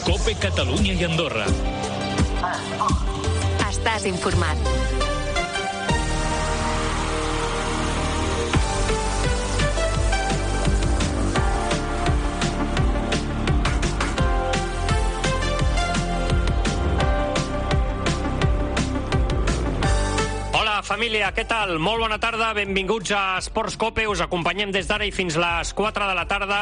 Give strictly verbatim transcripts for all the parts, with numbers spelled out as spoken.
COPE Catalunya i Andorra. Estàs informat. Hola, família, què tal? Molt bona tarda, benvinguts a Esports COPE. Us acompanyem des d'ara i fins les quatre de la tarda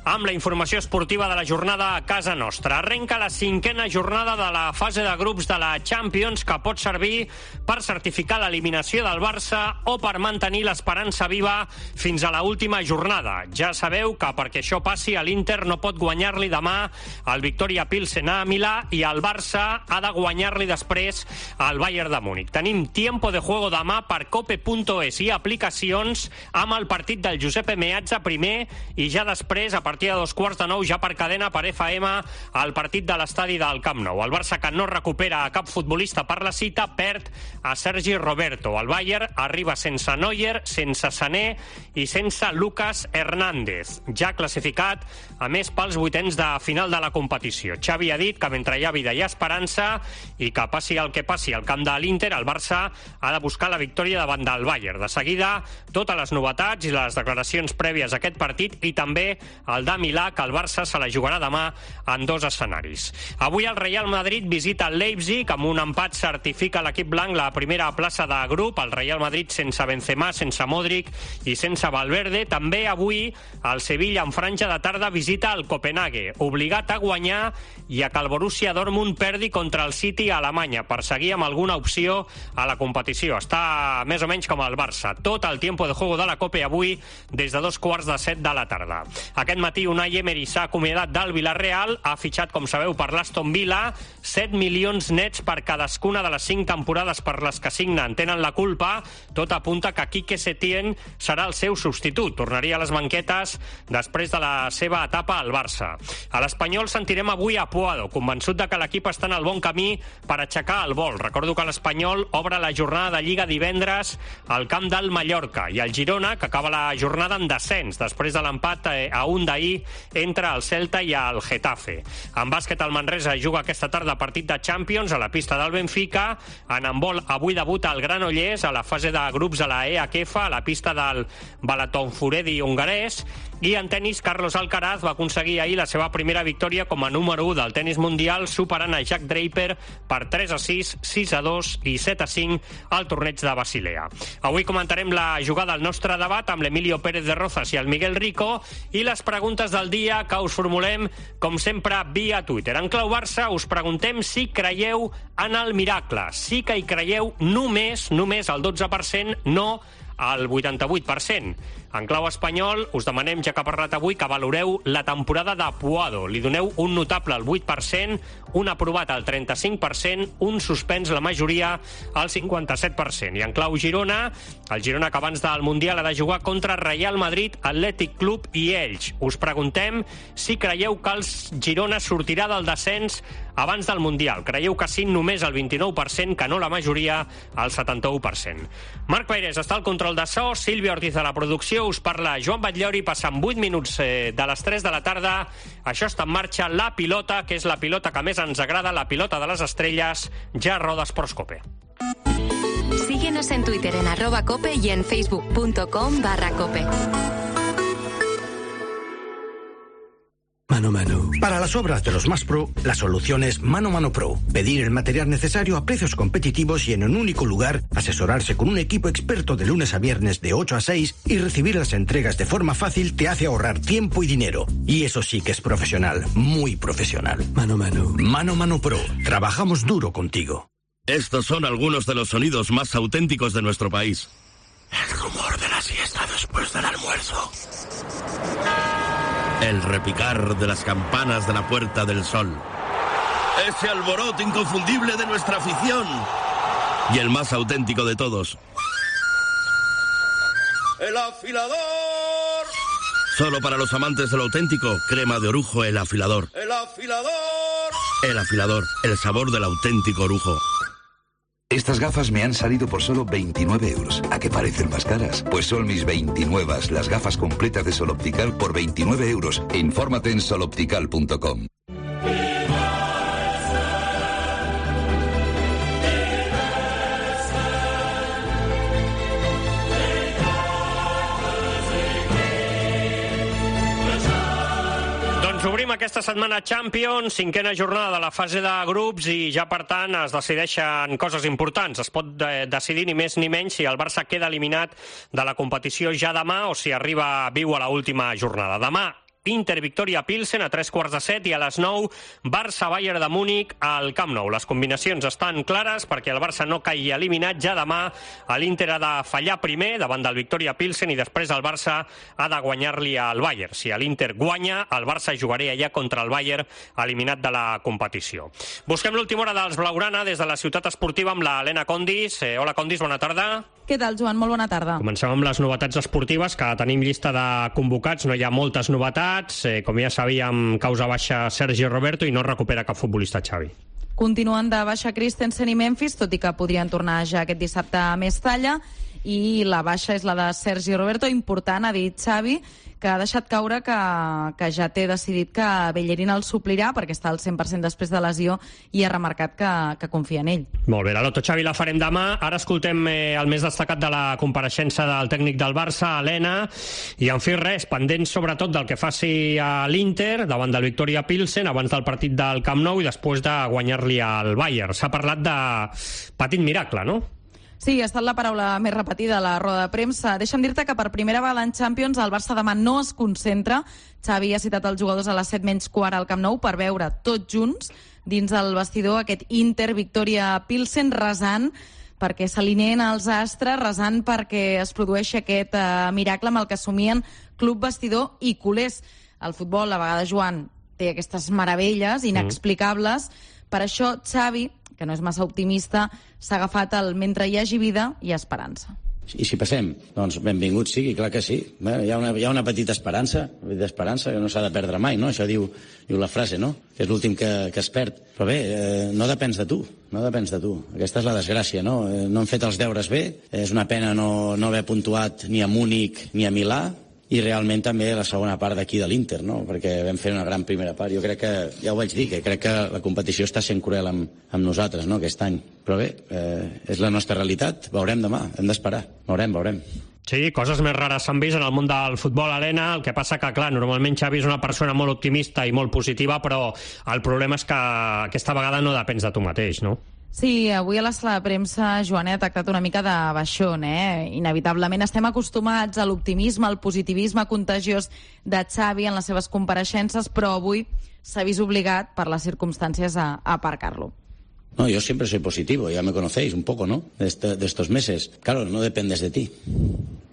amb la informació esportiva de la jornada a casa nostra. Arrenca la cinquena jornada de la fase de grups de la Champions, que pot servir per certificar l'eliminació del Barça o per mantenir l'esperança viva fins a l'última jornada. Ja sabeu que perquè això passi, l'Inter no pot guanyar-li demà al Victoria Pilsen a Milà i el Barça ha de guanyar-li després al Bayern de Múnich. Tenim tiempo de juego demà per cope punt es i aplicacions amb el partit del Giuseppe Meazza primer i ja després, a partir A partir de dos quarts de nou, ja per cadena, per F M, el partit de l'estadi del Camp Nou. El Barça, que no recupera a cap futbolista per la cita, perd a Sergi Roberto. El Bayern arriba sense Neuer, sense Sané i sense Lucas Hernández, ja classificat, a més, pels vuitens de final de la competició. Xavi ha dit que mentre hi ha vida hi ha esperança i que passi el que passi al camp de l'Inter, el Barça ha de buscar la victòria davant del Bayern. De seguida, totes les novetats i les declaracions prèvies a aquest partit i també el de Milà, que el Barça se la jugarà demà en dos escenaris. Avui el Real Madrid visita el Leipzig, amb un empat certifica l'equip blanc la primera plaça de grup. El Real Madrid sense Benzema, sense Modric i sense Valverde. També avui el Sevilla en franja de tarda visita el Copenhague, obligat a guanyar i a que el Borussia Dortmund perdi contra el City a Alemanya per seguir amb alguna opció a la competició. Està més o menys com el Barça. Tot el tiempo de juego de la Copa avui des de dos quarts de set de la tarda. Aquest matí Unai Emery s'ha acomiadat del Villarreal, ha fitxat, com sabeu, per l'Aston Villa, set milions nets per cadascuna de les cinc temporades per les que signen. Tenen la culpa, tot apunta que Quique Setién serà el seu substitut. Tornaria a les banquetes després de la seva etapa al Barça. A l'Espanyol sentirem avui a Puado, convençut de que l'equip està en el bon camí per aixecar el vol. Recordo que l'Espanyol obre la jornada de Lliga divendres al camp del Mallorca i el Girona, que acaba la jornada en descens després de l'empat a un d'ahir entre el Celta i el Getafe. En bàsquet, el Manresa juga aquesta tarda partit de Champions a la pista del Benfica. En handbol, avui debuta el Granollers a la fase de grups a la E H F, a la pista del Balatonfuredi hongarès. I en tenis, Carlos Alcaraz va aconseguir ahir la seva primera victòria com a número u del tenis mundial, superant a Jack Draper per tres a sis, sis a dos i set a cinc al torneig de Basilea. Avui comentarem la jugada al nostre debat amb l'Emilio Pérez de Rozas i el Miguel Rico i les preguntes del dia que us formulem, com sempre, via Twitter. En clau Barça us preguntem si creieu en el miracle. Sí que hi creieu només, només el dotze per cent, no al vuitanta-vuit per cent. En clau espanyol, us demanem, ja que ha parlat avui, que valoreu la temporada de Puado. Li doneu un notable al vuit per cent, un aprovat al trenta-cinc per cent, un suspens la majoria al cinquanta-set per cent. I en clau Girona, el Girona que abans del Mundial ha de jugar contra Real Madrid, Atlètic Club i Elx. Us preguntem si creieu que el Girona sortirà del descens abans del Mundial. Creieu que sí, només el vint-i-nou per cent, que no la majoria, al setanta-u per cent. Marc Peirés està al control de so, Sílvia Ortiz a la producció, us parla Joan Batllori, passant vuit minuts eh, de les tres de la tarda. Això està en marxa, la pilota, que és la pilota que més ens agrada, la pilota de les estrelles, ja roda Esports COPE. Síguenos en Twitter en arroba cope y en facebook punto com barra cope. Mano Mano. Para las obras de los más pro, la solución es Mano Mano Pro. Pedir el material necesario a precios competitivos y en un único lugar, asesorarse con un equipo experto de lunes a viernes de ocho a seis y recibir las entregas de forma fácil te hace ahorrar tiempo y dinero. Y eso sí que es profesional, muy profesional. Mano Mano. Mano Mano Pro. Trabajamos duro contigo. Estos son algunos de los sonidos más auténticos de nuestro país. El rumor de la siesta después del almuerzo. El repicar de las campanas de la Puerta del Sol. Ese alboroto inconfundible de nuestra afición. Y el más auténtico de todos. ¡El afilador! Solo para los amantes de lo auténtico, crema de orujo El Afilador. ¡El afilador! El Afilador, el sabor del auténtico orujo. Estas gafas me han salido por solo veintinueve euros. ¿A qué parecen más caras? Pues son mis veintinuevas, las gafas completas de Sol Optical por veintinueve euros. Infórmate en sol optical punto com. Doncs obrim aquesta setmana Champions, cinquena jornada de la fase de grups i ja, per tant, es decideixen coses importants. Es pot de decidir ni més ni menys si el Barça queda eliminat de la competició ja demà o si arriba viu a l'última jornada. Demà, Inter Victoria Pilsen a tres quarts de set i a les nou Barça Bayern de Múnich al Camp Nou. Les combinacions estan clares perquè el Barça no caigui eliminat. Ja demà l'Inter ha de fallar primer davant del Victoria Pilsen i després el Barça ha de guanyar-li al Bayern. Si l'Inter guanya, el Barça jugaria ja contra el Bayern eliminat de la competició. Busquem l'última hora dels Blaugrana des de la ciutat esportiva amb la Helena Condis. Eh, hola Condis, bona tarda. Què tal, Joan? Molt bona tarda. Comencem amb les novetats esportives, que tenim llista de convocats. No hi ha moltes novetats. Eh, com ja sabíem, causa baixa Sergi Roberto i no recupera cap futbolista, Xavi. Continuen de baixa Christensen i Memphis, tot i que podrien tornar ja aquest dissabte a Mestalla. I la baixa és la de Sergi Roberto. Important, ha dit Xavi, que ha deixat caure que, que ja té decidit que Bellerín el suplirà perquè està al cent per cent després de lesió i ha remarcat que, que confia en ell. Molt bé, la Loto, Xavi, la farem demà. Ara escoltem eh, el més destacat de la compareixença del tècnic del Barça, Helena, i en fi res, pendents sobretot del que faci a l'Inter davant del Victoria Pilsen abans del partit del Camp Nou i després de guanyar-li al Bayern. S'ha parlat de petit miracle, no? Sí, ha estat la paraula més repetida a la roda de premsa. Deixa'm dir-te que per primera vegada en Champions el Barça demà no es concentra. Xavi ha citat els jugadors a les set menys quart al Camp Nou per veure tots junts dins el vestidor aquest Inter Victoria Pilsen resant perquè s'alineen els astres, resant perquè es produeixi aquest eh, miracle amb el que assumien club, vestidor i culers. El futbol, a vegades, Joan, té aquestes meravelles inexplicables. Mm. Per això, Xavi, que no és massa optimista, s'ha agafat el mentre hi hagi vida i esperança. I si passem, doncs benvingut sigui, clar que sí. Bé, hi, ha una, hi ha una petita esperança, una petita esperança que no s'ha de perdre mai, no? Això diu, diu la frase, no? Que és l'últim que, que es perd. Però bé, eh, no depens de tu, no depens de tu. Aquesta és la desgràcia, no? Eh, no hem fet els deures bé, és una pena no, no haver puntuat ni a Múnich ni a Milà, i realment també la segona part d'aquí de l'Inter, no? Perquè vam fer una gran primera part. Jo crec que, ja ho vaig dir, que crec que la competició està sent cruel amb, amb nosaltres, no?, aquest any. Però bé, eh, és la nostra realitat, veurem demà, hem d'esperar, veurem, veurem. Sí, coses més rares s'han vist en el món del futbol, Helena. El que passa que, clar, normalment Xavi és una persona molt optimista i molt positiva, però el problema és que aquesta vegada no depens de tu mateix, no? Sí, avui a la sala de premsa, Joan, ha tractat una mica de baixón, eh? Inevitablement estem acostumats a l'optimisme, al positivisme contagiós de Xavi en les seves compareixences, però avui s'ha vist obligat, per les circumstàncies, a, a aparcar-lo. No, yo siempre soy positivo, ya me conocéis un poco, ¿no? De, este, de estos meses. Claro, no dependes de ti.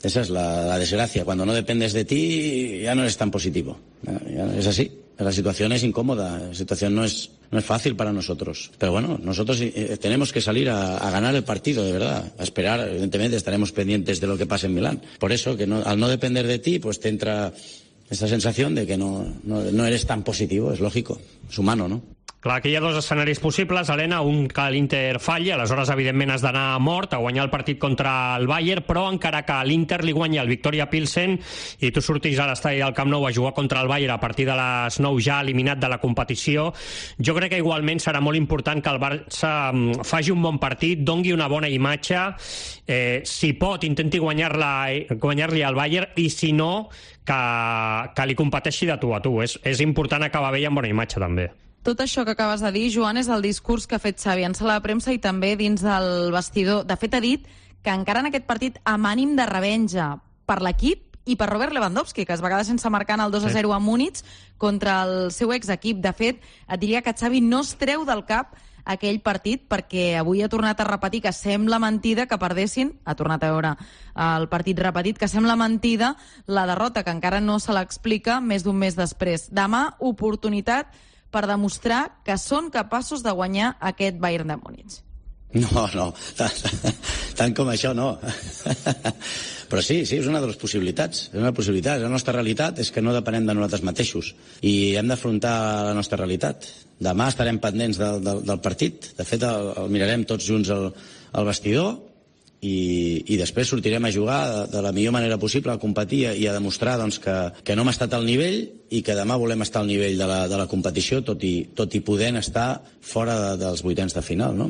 Esa es la, la desgracia. Cuando no dependes de ti, ya no eres tan positivo. Ya es así. La situación es incómoda, la situación no es, no es fácil para nosotros. Pero bueno, nosotros eh, tenemos que salir a, a ganar el partido, de verdad. A esperar, evidentemente estaremos pendientes de lo que pase en Milán. Por eso, que no, al no depender de ti, pues te entra esta sensación de que no, no, no eres tan positivo, es lógico, es humano, ¿no? Clar, aquí hi ha dos escenaris possibles, Helena, un que l'Inter falli, aleshores evidentment has d'anar mort a guanyar el partit contra el Bayern, però encara que l'Inter li guanya el Victoria Pilsen i tu surtis a l'estadi del Camp Nou a jugar contra el Bayern a partir de les nou ja eliminat de la competició, jo crec que igualment serà molt important que el Barça faci un bon partit, dongui una bona imatge, eh, si pot intenti guanyar-la, guanyar-li al Bayern i si no, que, que li competeixi de tu a tu. És, és important acabar bé i amb bona imatge també. Tot això que acabes de dir, Joan, és el discurs que ha fet Xavi en sala de premsa i també dins del vestidor. De fet, ha dit que encara en aquest partit amb ànim de revenja per l'equip i per Robert Lewandowski, que es va quedar sense marcar en el dos a zero a Múnich contra el seu exequip. De fet, et diria que Xavi no es treu del cap aquell partit perquè avui ha tornat a repetir que sembla mentida que perdessin, ha tornat a veure el partit repetit, que sembla mentida la derrota, que encara no se l'explica més d'un mes després. Demà, oportunitat per demostrar que són capaços de guanyar aquest Bayern de Múnich. No, no, tant, tant com això no. Però sí, sí, és una de les possibilitats. És una possibilitat. La nostra realitat és que no depenem de nosaltres mateixos i hem d'afrontar la nostra realitat. Demà estarem pendents del, del, del partit. De fet, el, el mirarem tots junts al, al vestidor i, i després sortirem a jugar de, de la millor manera possible, a competir i a demostrar doncs, que, que no hem estat al nivell i que demà volem estar al nivell de la, de la competició, tot i, tot i podent estar fora de, dels vuitens de final, no?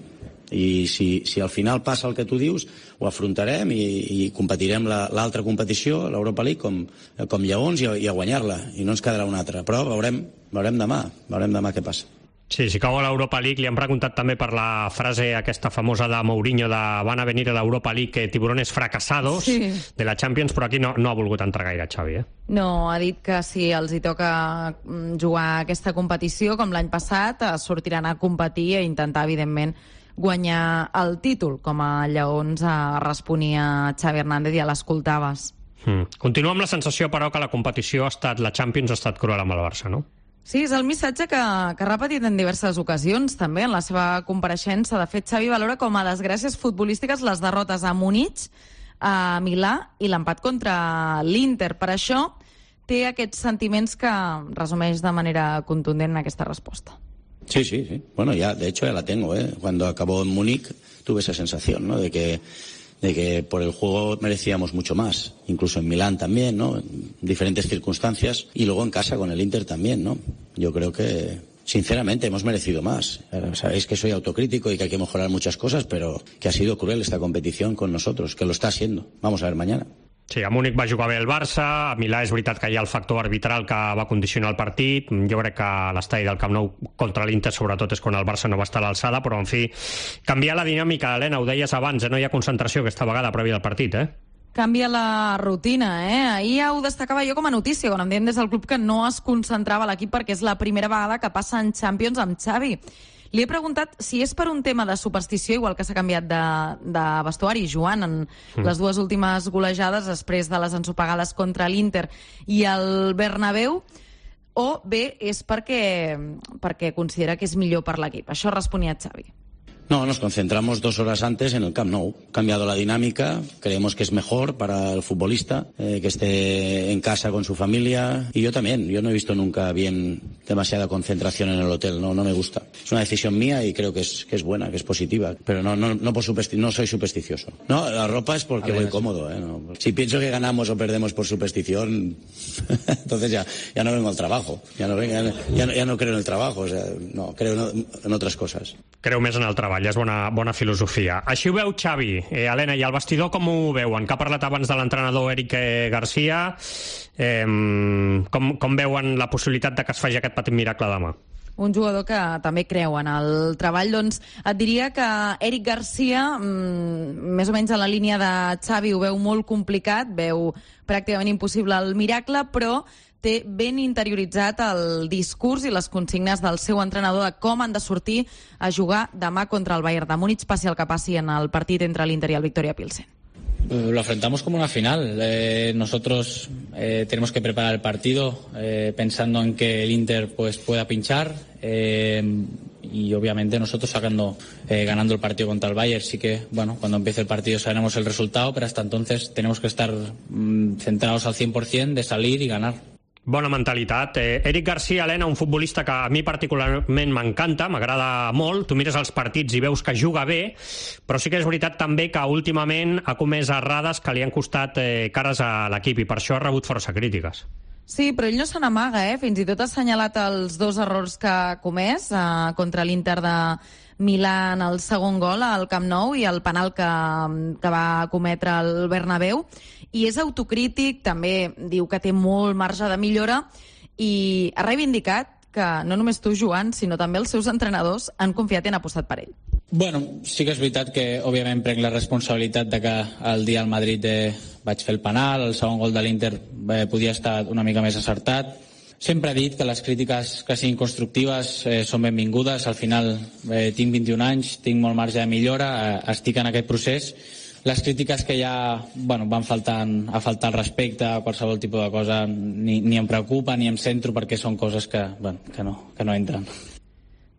I si, si al final passa el que tu dius, ho afrontarem i, i competirem la, l'altra competició, l'Europa League, com, com lleons i, i a guanyar-la, i no ens quedarà una altra. Però veurem, veurem demà, veurem demà què passa. Sí, si cau a l'Europa League, li han preguntat també per la frase aquesta famosa de Mourinho de van a venir a l'Europa League tiburones fracasados sí. de la Champions, però aquí no, no ha volgut entrar gaire, Xavi. Eh? No, ha dit que si els hi toca jugar aquesta competició, com l'any passat, sortiran a competir i intentar, evidentment, guanyar el títol, com a lleons responia Xavi Hernández i ja l'escoltaves. Hmm. Continua amb la sensació, però, que la competició ha estat, la Champions ha estat cruel amb el Barça, no? Sí, és el missatge que, que ha repetit en diverses ocasions, també, en la seva compareixença. De fet, Xavi valora com a desgràcies futbolístiques les derrotes a Múnich, a Milà i l'empat contra l'Inter. Per això té aquests sentiments que resumeix de manera contundent en aquesta resposta. Sí, sí, sí. Bueno, ya, de hecho, ya la tengo, ¿eh? Cuando acabó en Múnich tuve esa sensación, ¿no? De que de que por el juego merecíamos mucho más, incluso en Milán también, ¿no? En diferentes circunstancias, y luego en casa con el Inter también, ¿no? Yo creo que, sinceramente, hemos merecido más. Sabéis que soy autocrítico y que hay que mejorar muchas cosas, pero que ha sido cruel esta competición con nosotros, que lo está siendo. Vamos a ver mañana. Sí, a Múnich va jugar bé el Barça, a Milà és veritat que hi ha el factor arbitral que va condicionar el partit, jo crec que l'estadi del Camp Nou contra l'Inter sobretot és quan el Barça no va estar a l'alçada, però en fi, canviar la dinàmica, Helena, ho deies abans, eh? No hi ha concentració aquesta vegada prèvia al partit, eh? Canvia la rutina, eh? Ahir ja ho destacava jo com a notícia, quan em deien des del club que no es concentrava l'equip perquè és la primera vegada que passa en Champions amb Xavi. Li he preguntat si és per un tema de superstició, igual que s'ha canviat de, de vestuari, Joan, en mm. les dues últimes golejades després de les ensopegades contra l'Inter i el Bernabéu, o bé és perquè, perquè considera que és millor per l'equip. Això responia Xavi. No, nos concentramos dos horas antes en el Camp Nou. Ha cambiado la dinámica, creemos que es mejor para el futbolista, eh, que esté en casa con su familia. Y yo también, yo no he visto nunca bien demasiada concentración en el hotel, no, no me gusta. Es una decisión mía y creo que es, que es buena, que es positiva, pero no, no, no, por supersti- no soy supersticioso. No, la ropa es porque voy cómodo. ¿eh? No. Si pienso que ganamos o perdemos por superstición, entonces ya, ya no vengo al trabajo, ya no, vengo, ya, no, ya, no, ya no creo en el trabajo, o sea, no, creo en, en otras cosas. Creu més en el treball, és bona, bona filosofia. Així ho veu Xavi. Eh, Helena, i al vestidor com ho veuen? Que ha parlat abans de l'entrenador Eric Garcia. Eh, com, com veuen la possibilitat de que es faci aquest petit miracle demà? Un jugador que també creu en el treball. Doncs et diria que Eric Garcia, mmm, més o menys en la línia de Xavi, ho veu molt complicat, veu pràcticament impossible el miracle, però té ben interioritzat el discurs i les consignes del seu entrenador de com han de sortir a jugar demà contra el Bayern de Múnich, passi el que passi en el partit entre l'Inter y el Victoria Pilsen. Lo afrontamos como una final. Eh, nosotros eh, tenemos que preparar el partido eh, pensando en que el Inter pues pueda pinchar eh, y obviamente nosotros sacando eh, ganando el partido contra el Bayern. Sí que, bueno, cuando empiece el partido sabremos el resultado, pero hasta entonces tenemos que estar mm, centrados al cien por ciento de salir y ganar. Bona mentalitat. Eh, Eric Garcia, Helena, un futbolista que a mi particularment m'encanta, m'agrada molt. Tu mires els partits i veus que juga bé, però sí que és veritat també que últimament ha comès errades que li han costat eh, cares a l'equip i per això ha rebut força crítiques. Sí, però ell no se n'amaga, eh? Fins i tot ha assenyalat els dos errors que ha comès eh, contra l'Inter de Milà en el segon gol al Camp Nou i el penal que, que va cometre el Bernabéu. I és autocrític, també diu que té molt marge de millora i ha reivindicat que no només tu, Joan, sinó també els seus entrenadors han confiat i han apostat per ell. Bueno, sí que és veritat que òbviament prenc la responsabilitat de que el dia al Madrid eh, vaig fer el penal, el segon gol de l'Inter eh, podia estar una mica més acertat. Sempre he dit que les crítiques que siguin constructives eh, són benvingudes. Al final eh, tinc vint-i-un anys, tinc molt marge de millora, eh, estic en aquest procés. Les crítiques que ja bueno, van faltant, a faltar al respecte a qualsevol tipus de cosa ni, ni em preocupa ni em centro perquè són coses que, bueno, que, no, que no entren.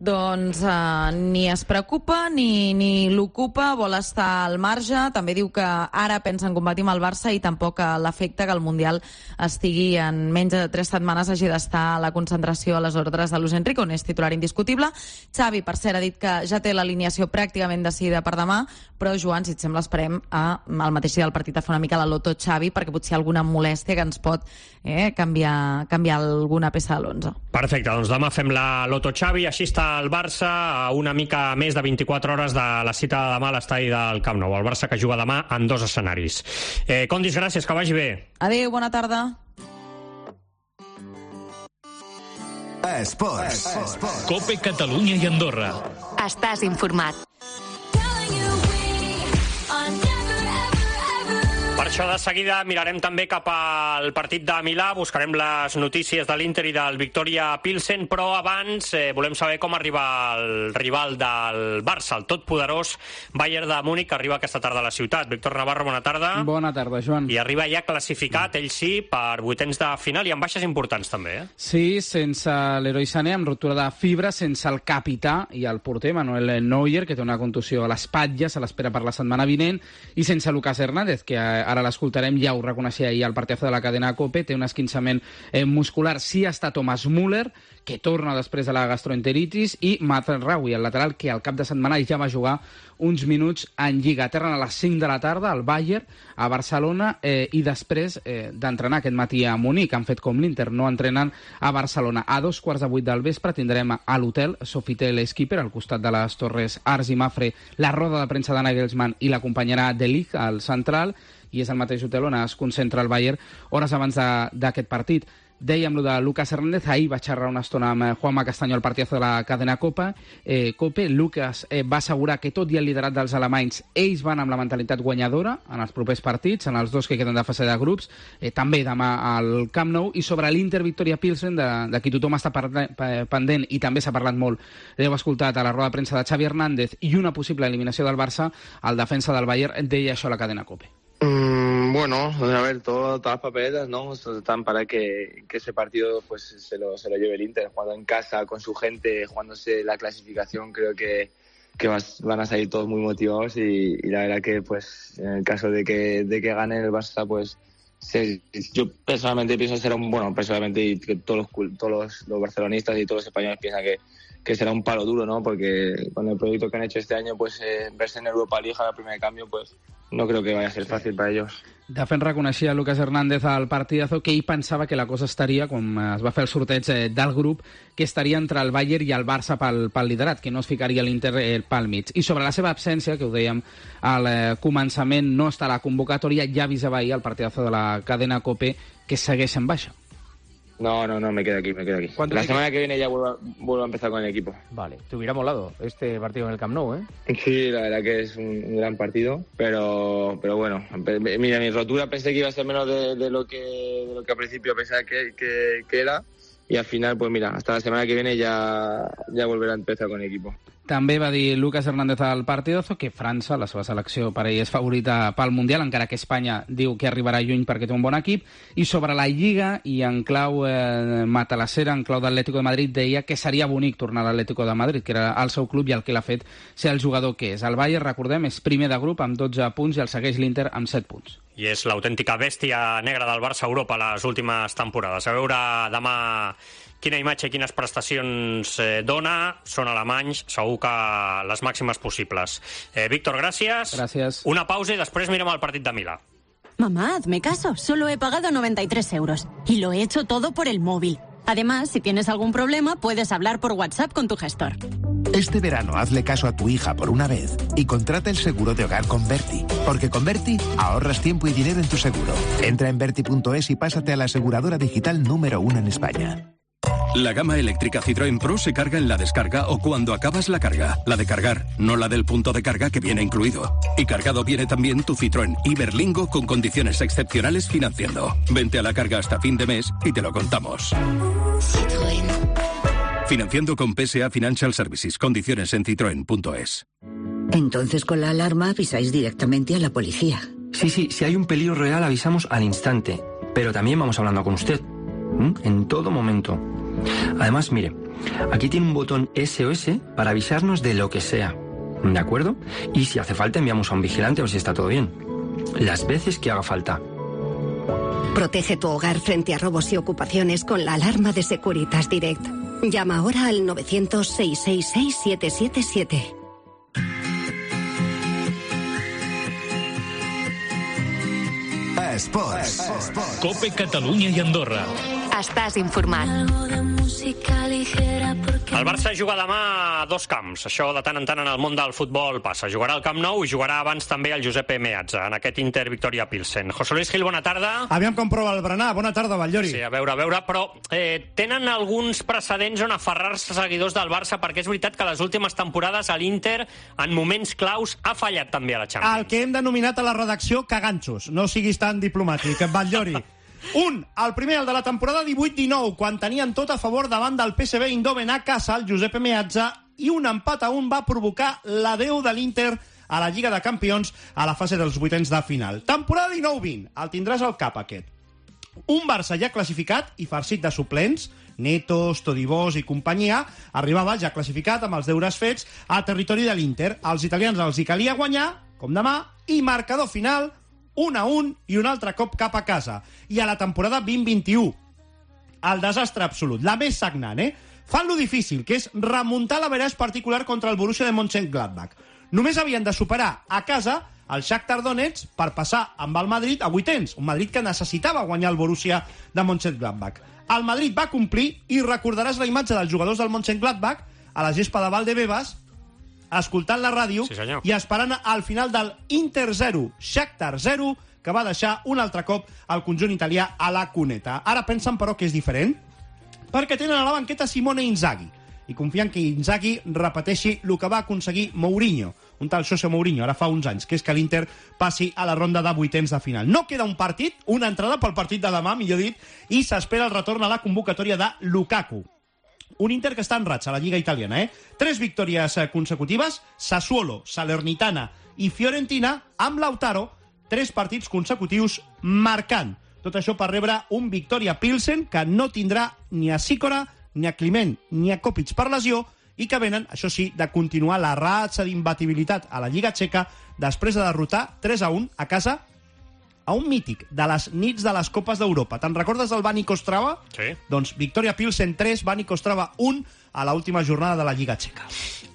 Doncs eh, ni es preocupa ni, ni l'ocupa, vol estar al marge. També diu que ara pensa en competir amb el Barça i tampoc l'afecta que el Mundial estigui en menys de tres setmanes, hagi d'estar a la concentració a les ordres de Luis Enrique, on és titular indiscutible. Xavi, per cert, ha dit que ja té l'alineació pràcticament decidida per demà, però, Joan, si et sembla, esperem a, al mateix dia del partit a fer una mica la loto Xavi, perquè potser alguna molèstia que ens pot eh, canviar, canviar alguna peça de l'onze. Perfecte, doncs demà fem la Loto Xavi, així està el Barça a una mica més de vint-i-quatre hores de la cita de demà a l'estadi del Camp Nou. El Barça que juga demà en dos escenaris. Eh, Condis, gràcies, que vagi bé. Adéu, bona tarda. Esports. Esports. Cope Catalunya i Andorra. Estàs informat. Per això de seguida mirarem també cap al partit de Milà, buscarem les notícies de l'Inter i del Victoria Pilsen, però abans eh, volem saber com arriba el rival del Barça, el totpoderós Bayern de Múnich, que arriba aquesta tarda a la ciutat. Víctor Navarro, bona tarda. Bona tarda, Joan. I arriba ja classificat, ell sí, per vuitens de final i amb baixes importants també, eh? Sí, sense l'heroi Sané, amb ruptura de fibra, sense el capità i el porter Manuel Neuer, que té una contusió a l'espatlla, se l'espera per la setmana vinent, i sense Lucas Hernández, que ara l'escoltarem, ja ho reconeixia ahir al partidazo de la cadena COPE, té un esquinçament eh, muscular. Sí està Thomas Müller, que torna després de la gastroenteritis, i Mazen Raoui, el lateral, que al cap de setmana ja va jugar uns minuts en Lliga. Aterren a les cinc de la tarda al Bayern, a Barcelona, eh, i després eh, d'entrenar aquest matí a Munic. Han fet com l'Inter, no entrenen a Barcelona. A dos quarts de vuit del vespre tindrem a l'hotel Sofitel Skipper, al costat de les Torres Ars i Mafre, la roda de premsa de Nagelsmann i l'acompanyarà De Ligt al central, i és el mateix hotel on es concentra el Bayern hores abans d'aquest partit. Dèiem lo de Lucas Hernández, ahir va xerrar una estona amb Juanma Castaño al partidazo de la cadena Copa. Eh, Cope, Lucas eh, va assegurar que tot i el liderat dels alemanys, ells van amb la mentalitat guanyadora en els propers partits, en els dos que queden de fase de grups, eh, també demà al Camp Nou, i sobre l'Inter Victoria Pilsen, de, de qui tothom està pendent i també s'ha parlat molt, l'heu escoltat a la roda de premsa de Xavi Hernández, i una possible eliminació del Barça, el defensa del Bayern deia això a la cadena Cope. Mm, bueno, a ver, todo, todas las papeletas, ¿no? Están para que, que ese partido pues se lo, se lo lleve el Inter, jugando en casa, con su gente, jugándose la clasificación. Creo que, que vas, van a salir todos muy motivados y, y la verdad que pues en el caso de que, de que gane el Barça, pues se, yo personalmente pienso será un, bueno, personalmente y que todos los, todos los, los barcelonistas y todos los españoles piensan que que será un palo duro, ¿no? Porque con el proyecto que han hecho este año, pues eh, verse en Europa League a la primera de cambio, pues no creo que vaya a ser fácil para ellos. De fet, reconeixia Lucas Hernández al partidazo que ell pensava que la cosa estaria, quan es va fer el sorteig eh, del grup, que estaria entre el Bayern i el Barça pel, pel liderat, que no es ficaria l'Inter eh, pel mig. I sobre la seva absència, que ho dèiem al eh, començament, no està a la convocatòria, ja avisava ahir al partidazo de la cadena COPE que segueix en baixa. No, no, no, me quedo aquí, me quedo aquí. La semana que viene ya vuelvo a, vuelvo a empezar con el equipo. Vale, te hubiera molado este partido en el Camp Nou, ¿eh? Sí, la verdad que es un, un gran partido, pero pero bueno, mira, mi rotura pensé que iba a ser menos de, de lo que de lo que al principio pensaba que, que, que era, y al final, pues mira, hasta la semana que viene ya, ya volverá a empezar con el equipo. També va dir Lucas Hernández al partidazo que França, la seva selecció per ell, és favorita pel Mundial, encara que Espanya diu que arribarà lluny perquè té un bon equip. I sobre la Lliga, i en clau eh, matalassera, en clau d'Atlético de Madrid, deia que seria bonic tornar a l'Atlético de Madrid, que era el seu club i el que l'ha fet ser el jugador que és. El Bayern, recordem, és primer de grup amb dotze punts i el segueix l'Inter amb set punts. I és l'autèntica bèstia negra del Barça a Europa les últimes temporades. A veure demà quina imatge i quines prestacions eh, dona. Són alemanys, segur que les màximes possibles. Eh, Víctor, gràcies. Gràcies. Una pausa i després mirem el partit de Milà. Mamá, hazme caso. Solo he pagado noventa y tres euros. Y lo he hecho todo por el móvil. Además, si tienes algún problema, puedes hablar por WhatsApp con tu gestor. Este verano hazle caso a tu hija por una vez y contrata el seguro de hogar con Berti. Porque con Berti ahorras tiempo y dinero en tu seguro. Entra en Berti punto es y pásate a la aseguradora digital número uno en España. La gama eléctrica Citroën Pro se carga en la descarga o cuando acabas la carga. La de cargar, no la del punto de carga que viene incluido. Y cargado viene también tu Citroën Iberlingo con condiciones excepcionales financiando. Vente a la carga hasta fin de mes y te lo contamos. Citroën. Financiando con P S A Financial Services. Condiciones en citroen punto es. Entonces con la alarma avisáis directamente a la policía. Sí, sí, si hay un peligro real avisamos al instante. Pero también vamos hablando con usted. ¿Mm? En todo momento. Además, mire, aquí tiene un botón S O S para avisarnos de lo que sea. ¿De acuerdo? Y si hace falta enviamos a un vigilante a ver si está todo bien. Las veces que haga falta. Protege tu hogar frente a robos y ocupaciones con la alarma de Securitas Direct. Llama ahora al novecientos, seiscientos sesenta y seis, siete siete siete. Esports. Cope Catalunya i Andorra. Estàs informat. El Barça juga demà a dos camps. Això de tant en tant en el món del futbol passa. Jugarà al Camp Nou i jugarà abans també al Giuseppe Meazza, en aquest Inter Victoria Pilsen. José Luis Gil, bona tarda. Aviam com prova el berenar. Bona tarda, Batllori. Sí, a veure, a veure, però eh, tenen alguns precedents on aferrar-se seguidors del Barça, perquè és veritat que les últimes temporades a l'Inter, en moments claus, ha fallat també a la Champions. El que hem denominat a la redacció caganxos. No siguis tan diplomàtic, Batllori. Un, el primer, el de la temporada divuit dinou, quan tenien tot a favor davant del P S V Eindhoven a casa, el Giuseppe Meazza, i un empat a un va provocar l'adeu de l'Inter a la Lliga de Campions a la fase dels vuitens de final. Temporada dinou vint, el tindràs al cap aquest. Un Barça ja classificat i farcit de suplents, Netos, Todibós i companyia, arribava ja classificat amb els deures fets a territori de l'Inter. Als italians els hi calia guanyar, com demà, i marcador final, un a un i un altre cop cap a casa. I a la temporada vint vint-i-u, el desastre absolut, la més sagnant, eh? Fan lo difícil, que és remuntar l'average particular contra el Borussia de Mönchengladbach. Només havien de superar a casa el Shakhtar Donetsk per passar amb el Madrid a vuitens, un Madrid que necessitava guanyar el Borussia de Mönchengladbach. El Madrid va complir i recordaràs la imatge dels jugadors del Mönchengladbach a la gespa de Valdebebas, escoltant la ràdio, sí, i esperant al final del Inter zero, Shakhtar zero, que va deixar un altre cop el conjunt italià a la cuneta. Ara pensen, però, que és diferent, perquè tenen a la banqueta Simone Inzaghi, i confien que Inzaghi repeteixi el que va aconseguir Mourinho, un tal José Mourinho, ara fa uns anys, que és que l'Inter passi a la ronda de vuitens de final. No queda un partit, una entrada pel partit de demà, millor dit, i s'espera el retorn a la convocatòria de Lukaku. Un Inter que està en ratxa a la Lliga italiana, eh? Tres victòries consecutives, Sassuolo, Salernitana i Fiorentina, amb Lautaro, tres partits consecutius marcant. Tot això per rebre un Victoria Pilsen que no tindrà ni a Sikora, ni a Climent, ni a Kopic per lesió, i que venen, això sí, de continuar la ratxa d'imbatibilitat a la Lliga Txeca després de derrotar tres a un a casa a un mític de les nits de les Copes d'Europa. Te'n recordes del Bani Kostrava? Sí. Doncs Victoria Pilsen tres, Bani Kostrava un a l'última jornada de la Lliga Txeca.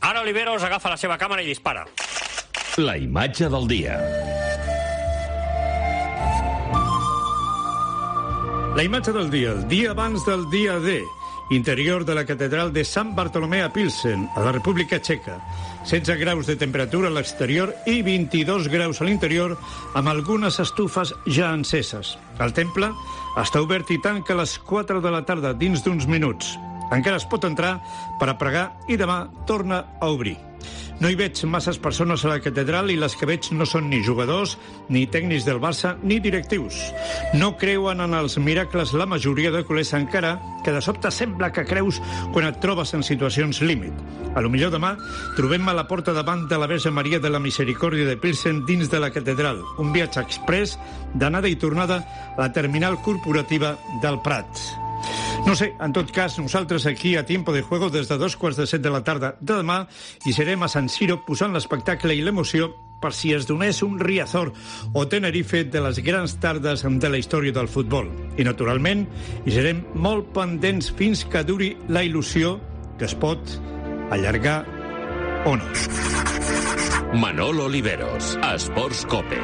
Ara Oliveros agafa la seva càmera i dispara. La imatge del dia. La imatge del dia, el dia abans del dia D. Interior de la catedral de Sant Bartolomé a Pilsen, a la República Txeca. setze graus de temperatura a l'exterior i vint-i-dos graus a l'interior, amb algunes estufes ja enceses. El temple està obert i tanca a les quatre de la tarda dins d'uns minuts. Encara es pot entrar per a pregar i demà torna a obrir. No hi veig masses persones a la catedral i les que veig no són ni jugadors, ni tècnics del Barça, ni directius. No creuen en els miracles la majoria de culers, encara que de sobte sembla que creus quan et trobes en situacions límit. A lo millor demà trobem a la porta davant de la Verge Maria de la Misericòrdia de Pilsen dins de la catedral. Un viatge express d'anada i tornada a la terminal corporativa del Prat. No sé, en tot cas, nosaltres aquí a Tiempo de Juego des de dos quarts de set de la tarda de demà hi serem a San Siro posant l'espectacle i l'emoció per si es donés un Riazor o Tenerife de les grans tardes de la història del futbol. I, naturalment, hi serem molt pendents fins que duri la il·lusió que es pot allargar o no. Manolo Oliveros, Esports Cope.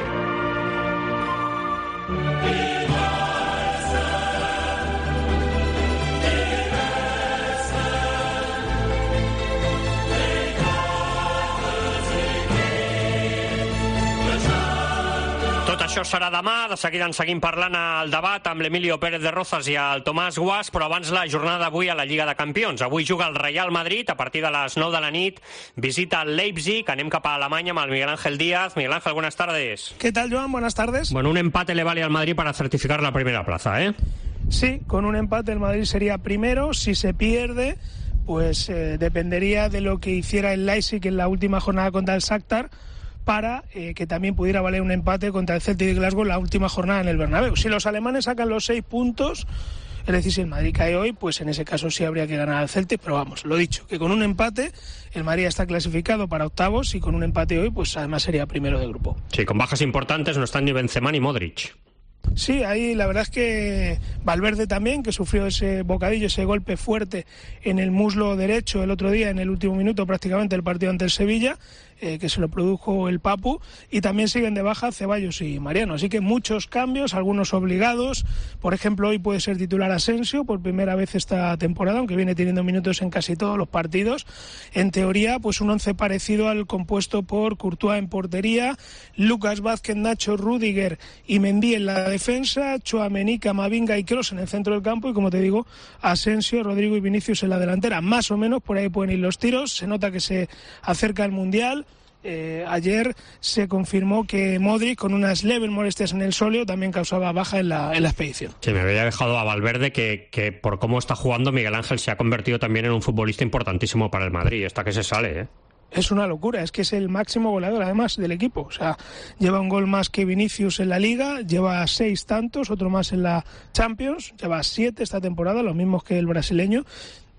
Això serà demà, de seguida en seguim parlant al debat amb l'Emilio Pérez de Rozas i el Tomàs Guas, però abans la jornada d'avui a la Lliga de Campions. Avui juga el Real Madrid a partir de les nou de la nit, visita el Leipzig, anem cap a Alemanya amb el Miguel Ángel Díaz. Miguel Ángel, buenas tardes. ¿Qué tal, Joan? Buenas tardes. Bueno, un empate le vale al Madrid para certificar la primera plaza, ¿eh? Sí, con un empate el Madrid sería primero. Si se pierde, pues eh, dependería de lo que hiciera el Leipzig en la última jornada contra el Shakhtar, para eh, que también pudiera valer un empate contra el Celtic de Glasgow en la última jornada en el Bernabéu. Si los alemanes sacan los seis puntos, es decir, si el Madrid cae hoy, pues en ese caso sí habría que ganar al Celtic, pero vamos, lo dicho, que con un empate el Madrid está clasificado para octavos y con un empate hoy, pues además sería primero de grupo. Sí, con bajas importantes no están ni Benzema ni Modric. Sí, ahí la verdad es que Valverde también, que sufrió ese bocadillo, ese golpe fuerte en el muslo derecho el otro día, en el último minuto prácticamente del partido ante el Sevilla, eh, que se lo produjo el Papu, y también siguen de baja Ceballos y Mariano. Así que muchos cambios, algunos obligados. Por ejemplo, hoy puede ser titular Asensio por primera vez esta temporada, aunque viene teniendo minutos en casi todos los partidos. En teoría, pues un once parecido al compuesto por Courtois en portería, Lucas Vázquez, Nacho, Rüdiger y Mendy en la defensa, Tchouaméni, Camavinga y Kroos en el centro del campo, y como te digo, Asensio, Rodrigo y Vinicius en la delantera. Más o menos por ahí pueden ir los tiros. Se nota que se acerca el Mundial. Eh, ayer se confirmó que Modric, con unas leves molestias en el sóleo, también causaba baja en la, en la expedición. Sí, me había dejado a Valverde, que, que por cómo está jugando Miguel Ángel se ha convertido también en un futbolista importantísimo para el Madrid. Esta que se sale, ¿eh? Es una locura, es que es el máximo goleador además del equipo. O sea, lleva un gol más que Vinicius en la Liga, lleva seis tantos, otro más en la Champions, lleva siete esta temporada, los mismos que el brasileño.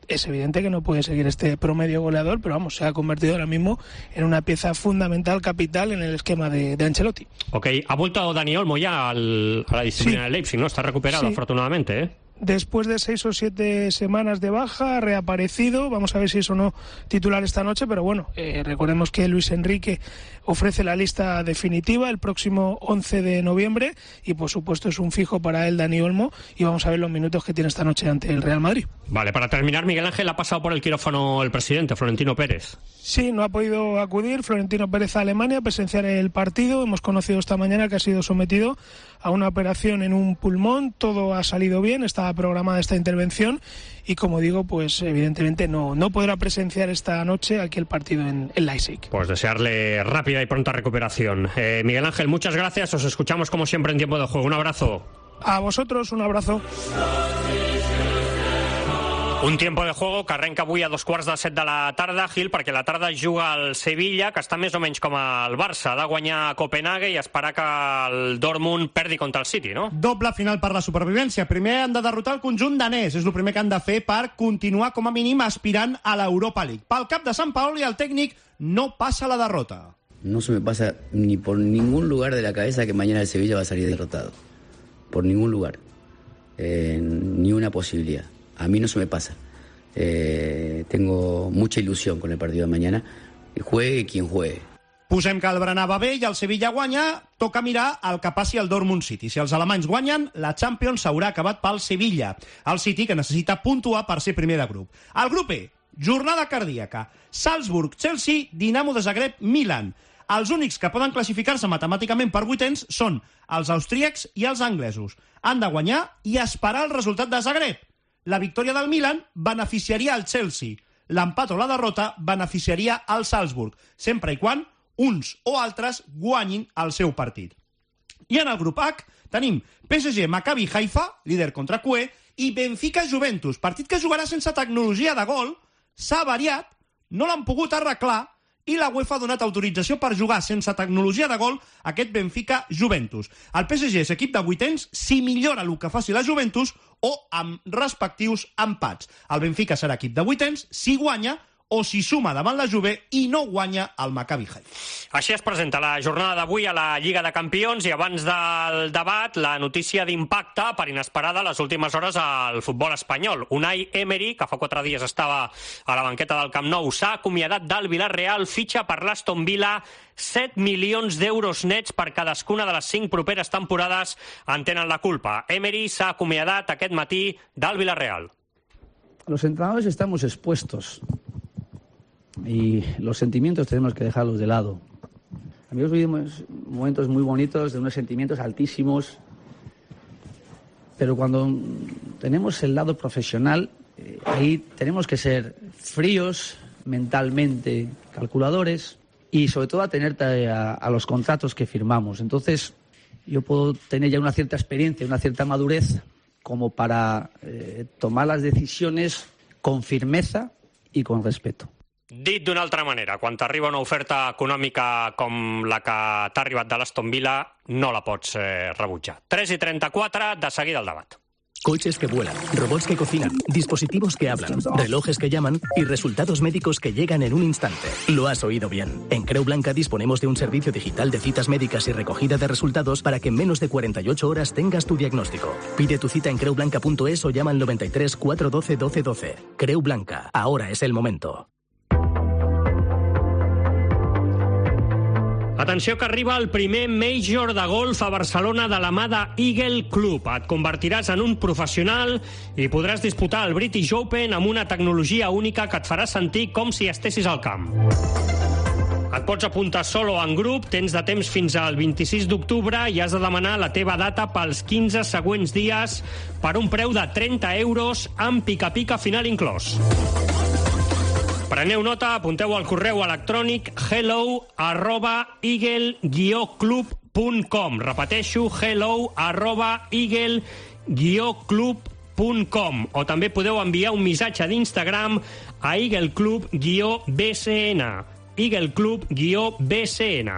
Es evidente que no puede seguir este promedio goleador, pero vamos, se ha convertido ahora mismo en una pieza fundamental, capital en el esquema de, de Ancelotti. Ok, ha vuelto Dani Olmo ya al, a la disciplina sí. de Leipzig, ¿no? Está recuperado, sí. afortunadamente, ¿eh? Después de seis o siete semanas de baja, ha reaparecido. Vamos a ver si es o no titular esta noche, pero bueno, eh, recordemos que Luis Enrique ofrece la lista definitiva el próximo once de noviembre y por supuesto es un fijo para él Dani Olmo, y vamos a ver los minutos que tiene esta noche ante el Real Madrid. Vale, para terminar, Miguel Ángel, ha pasado por el quirófano el presidente, Florentino Pérez. Sí, no ha podido acudir Florentino Pérez a Alemania a presenciar el partido. Hemos conocido esta mañana que ha sido sometido a una operación en un pulmón. Todo ha salido bien, estaba programada esta intervención y, como digo, pues evidentemente no, no podrá presenciar esta noche aquí el partido en, en Leipzig. Pues desearle rápida y pronta recuperación. Eh, Miguel Ángel, muchas gracias. Os escuchamos como siempre en Tiempo de Juego. Un abrazo. A vosotros, un abrazo. Un Tiempo de Juego que arrenca avui a dos quarts de set de la tarda, Gil, perquè la tarda juga el Sevilla, que està més o menys com el Barça. Ha de guanyar a Copenhague i esperar que el Dortmund perdi contra el City, no? Doble final per la supervivència. Primer han de derrotar el conjunt danès. És el primer que han de fer per continuar, com a mínim, aspirant a l'Europa League. Pel cap de Sant Paoli, el tècnic no passa la derrota. No se me pasa ni por ningún lugar de la cabeza que mañana el Sevilla va a salir derrotado. Por ningún lugar. Eh, ni una posibilidad. A mí no se me pasa. Eh, tengo mucha ilusión con el partido de mañana. Juegue quien juegue. Posem que el berenar va bé i el Sevilla guanya. Toca mirar el que passi al Dortmund City. Si els alemanys guanyen, la Champions s'haurà acabat pel Sevilla. El City, que necessita puntuar per ser primer de grup. El grup E, jornada cardíaca. Salzburg, Chelsea, Dinamo de Zagreb, Milan. Els únics que poden classificar-se matemàticament per vuitens són els austríacs i els anglesos. Han de guanyar i esperar el resultat de Zagreb. La victòria del Milan beneficiaria el Chelsea. L'empat o la derrota beneficiaria el Salzburg, sempre i quan uns o altres guanyin el seu partit. I en el grup H tenim P S G, Maccabi Haifa, líder contra Q E, i Benfica Juventus, partit que jugarà sense tecnologia de gol. S'ha variat, no l'han pogut arreglar, i la UEFA ha donat autorització per jugar sense tecnologia de gol aquest Benfica-Juventus. El P S G és equip de vuitens si millora el que faci la Juventus o amb respectius empats. El Benfica serà equip de vuitens si guanya o si suma davant la Juve i no guanya el Maccabi Haifa. Així es presenta la jornada d'avui a la Lliga de Campions i abans del debat la notícia d'impacte per inesperada les últimes hores al futbol espanyol. Unai Emery, que fa quatre dies estava a la banqueta del Camp Nou, s'ha acomiadat del Villarreal, fitxa per l'Aston Villa, set milions d'euros nets per cadascuna de les cinc properes temporades en tenen la culpa. Emery s'ha acomiadat aquest matí del Villarreal. Los entrenadores estamos expuestos y los sentimientos tenemos que dejarlos de lado. Amigos, vivimos momentos muy bonitos, de unos sentimientos altísimos, pero cuando tenemos el lado profesional, eh, ahí tenemos que ser fríos, mentalmente calculadores y sobre todo atenerte a, a los contratos que firmamos. Entonces, yo puedo tener ya una cierta experiencia, una cierta madurez como para eh, tomar las decisiones con firmeza y con respeto. Dit d'una altra manera, quan t'arriba una oferta econòmica com la que t'ha arribat de l'Aston Villa, no la pots eh, rebutjar. tres i trenta-quatre, de seguida el debat. Coches que vuelan, robots que cocinan, dispositivos que hablan, relojes que llaman y resultados médicos que llegan en un instante. Lo has oído bien. En Creu Blanca disponemos de un servicio digital de citas médicas y recogida de resultados para que en menos de cuarenta y ocho horas tengas tu diagnóstico. Pide tu cita en creu blanca punto es o llama al noventa y tres, cuatrocientos doce, doce doce. Creu Blanca. Ahora es el momento. Atenció que arriba el primer Major de golf a Barcelona de la mà de Eagle Club. Et convertiràs en un professional i podràs disputar el British Open amb una tecnologia única que et farà sentir com si estessis al camp. Et pots apuntar solo o en grup, tens de temps fins al vint-i-sis d'octubre i has de demanar la teva data pels quinze següents dies per un preu de trenta euros amb pica-pica final inclòs. Preneu nota, apunteu al correu electrònic hello arroba eagle guió club punt com. Repeteixo, hello arroba eagle guió club punt com. O també podeu enviar un missatge d'Instagram a eagleclub guió B C N. eagleclub guió B C N.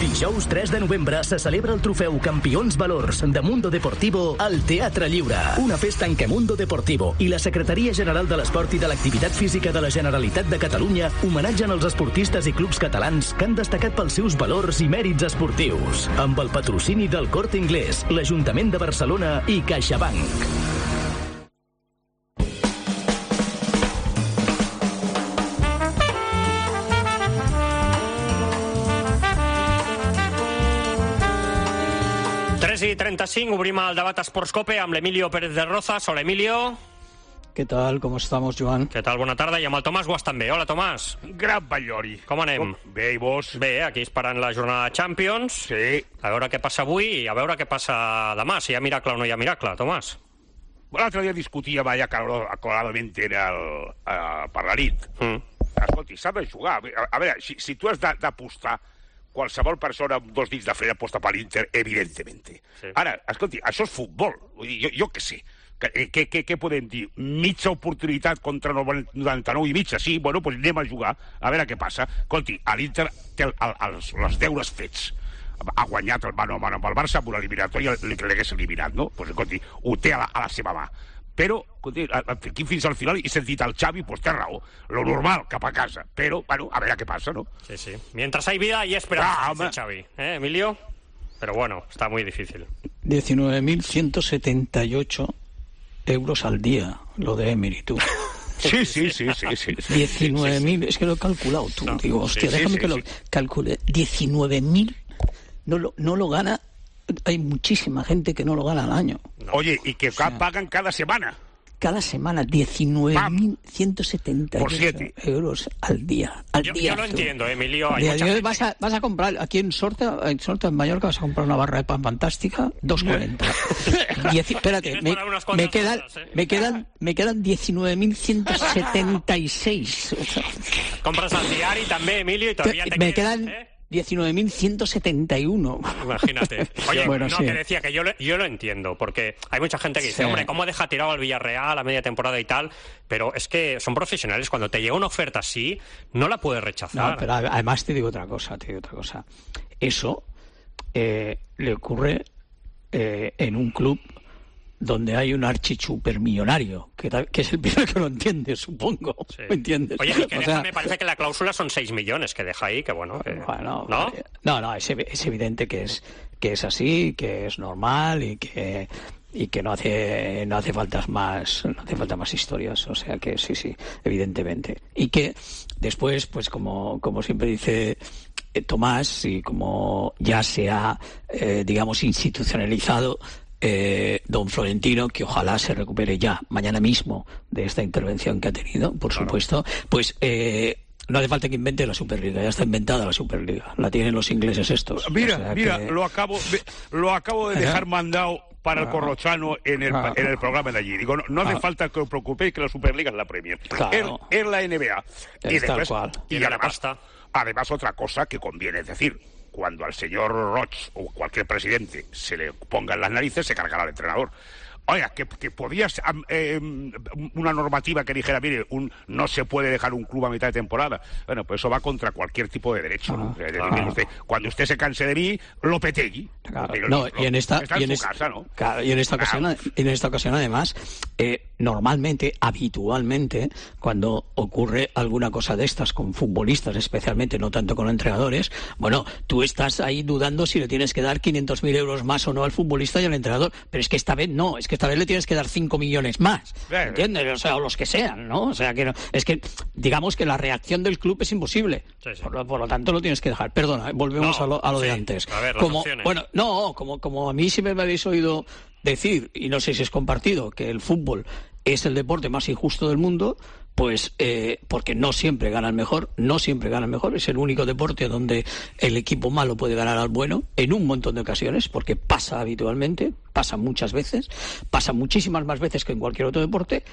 Dijous tres de novembre se celebra el trofeu Campions Valors de Mundo Deportivo al Teatre Lliure. Una festa en què Mundo Deportivo i la Secretaria General de l'Esport i de l'Activitat Física de la Generalitat de Catalunya homenatgen els esportistes i clubs catalans que han destacat pels seus valors i mèrits esportius. Amb el patrocini del Corte Inglés, l'Ajuntament de Barcelona i CaixaBank. tres i trenta-cinc, obrim el debat Esports Cope amb l'Emilio Pérez de Rozas. Hola, Emilio. ¿Qué tal? ¿Cómo estamos, Joan? Què tal? Bona tarda. I amb el Tomàs Guas també. Hola, Tomàs. Gran Batllori. Com anem? Bé, i vos? Bé, aquí esperant la jornada de Champions. Sí. A veure què passa avui i a veure què passa demà, si hi ha miracle o no hi ha miracle, Tomàs. L'altre dia discutíem allà aclaradament era el, uh, per la nit. Mm. Escolti, s'ha de jugar. A, a veure, si, si tu has d'apostar, qualsevol persona amb dos dits de frena aposta per l'Inter, evidentement. Sí. Ara, escolti, això és futbol. Vull dir, jo, jo què sé. Què, què, què podem dir? Mitja oportunitat contra noranta-nou i mitja? Sí, bueno, doncs anem a jugar, a veure què passa. Escolti, l'Inter té el, el, els, els deures fets. Ha guanyat el mano a mano amb el Barça, amb una eliminatòria que l'hagués eliminat, no? Doncs, escolti, ho té a la, a la seva mà. Però, escolti, aquí fins al final he sentit el Xavi, doncs té raó. Lo normal, cap a casa. Però, bueno, a veure què passa, ¿no? Sí, sí. Mientras hay vida, hay esperanza, ah, dice Xavi. ¿Eh, Emilio? Pero bueno, está muy difícil. diecinueve mil ciento setenta y ocho euros al día, lo de Emery, tú. Sí, sí, sí, sí, sí. diecinueve mil, es que lo he calculado, tú. No, digo, hostia, sí, déjame sí, que sí. lo calcule. diecinueve mil no lo, no lo gana. Hay muchísima gente que no lo gana al año. No. Oye, y que o sea, pagan cada semana. Cada semana, diecinueve mil ciento setenta euros al día. Al yo, día yo lo entiendo, Emilio. Hay día, mucha gente... vas, a, vas a comprar, aquí en Sorta, en Sorta, en Mallorca, vas a comprar una barra de pan fantástica, dos cuarenta. Diez... Espérate, me, me, quedan, cosas, ¿eh? me, quedan, me quedan diecinueve mil ciento setenta y seis. Compras al diario también, Emilio, y todavía te, te me quedan... quedan ¿eh? diecinueve mil ciento setenta y uno. Imagínate. Oye, bueno, no, sí. que decía que yo lo, yo lo entiendo, porque hay mucha gente que dice, sí. hombre, ¿cómo deja tirado al Villarreal a media temporada y tal? Pero es que son profesionales, cuando te llega una oferta así, no la puedes rechazar. No, pero además te digo otra cosa, te digo otra cosa. Eso eh, le ocurre eh, en un club donde hay un archichupermillonario, que, que es el primero que lo entiende, supongo. Sí. ¿Me entiendes? Oye, y que o deja, sea, me parece que la cláusula son seis millones que deja ahí, que bueno... Eh, bueno ¿no? No, no, es, es evidente que es, que es así, que es normal y que... y que no hace no hace faltas más no hace falta más historias, o sea que sí, sí, evidentemente. Y que después, pues como, como siempre dice eh, Tomás, y como ya se ha, eh, digamos, institucionalizado, Eh, don Florentino, que ojalá se recupere ya mañana mismo de esta intervención que ha tenido, por claro. supuesto, pues eh, no hace falta que invente la Superliga, ya está inventada la Superliga, la tienen los ingleses estos. Mira, o sea mira, que... lo acabo de, lo acabo de dejar mandado para el Corrochano en el, ah, en el programa de allí. Digo, no, no hace ah, falta que os preocupéis que la Superliga es la Premier, claro. es, es la N B A. Es y después, cual. y además, además otra cosa que conviene, es decir, cuando al señor Roch o cualquier presidente se le ponga en las narices, se cargará al entrenador. Oiga, que, que podías eh, una normativa que dijera, mire, un, no se puede dejar un club a mitad de temporada. Bueno, pues eso va contra cualquier tipo de derecho. Ah, ¿no? Claro. Usted, cuando usted se canse de mí, lo petegui. Claro. No, y en esta, está y en en su es, casa, ¿no? Claro, y en esta ocasión, claro. en esta ocasión además, eh, normalmente, habitualmente, cuando ocurre alguna cosa de estas con futbolistas, especialmente, no tanto con entrenadores, bueno, tú estás ahí dudando si le tienes que dar quinientos mil euros más o no al futbolista y al entrenador, pero es que esta vez no, es que esta vez le tienes que dar cinco millones más, ¿entiendes? O sea, o los que sean, ¿no? O sea, que no, es que, digamos que la reacción del club es imposible, sí, sí. Por, lo, por lo tanto lo tienes que dejar. Perdona, volvemos no, a lo, a lo sí. de antes. A ver, las como, opciones. Bueno, no, como, como a mí siempre me habéis oído decir, y no sé si es compartido, que el fútbol es el deporte más injusto del mundo, pues eh, porque no siempre gana el mejor, no siempre gana el mejor, es el único deporte donde el equipo malo puede ganar al bueno, en un montón de ocasiones, porque pasa habitualmente, pasa muchas veces, pasa muchísimas más veces que en cualquier otro deporte,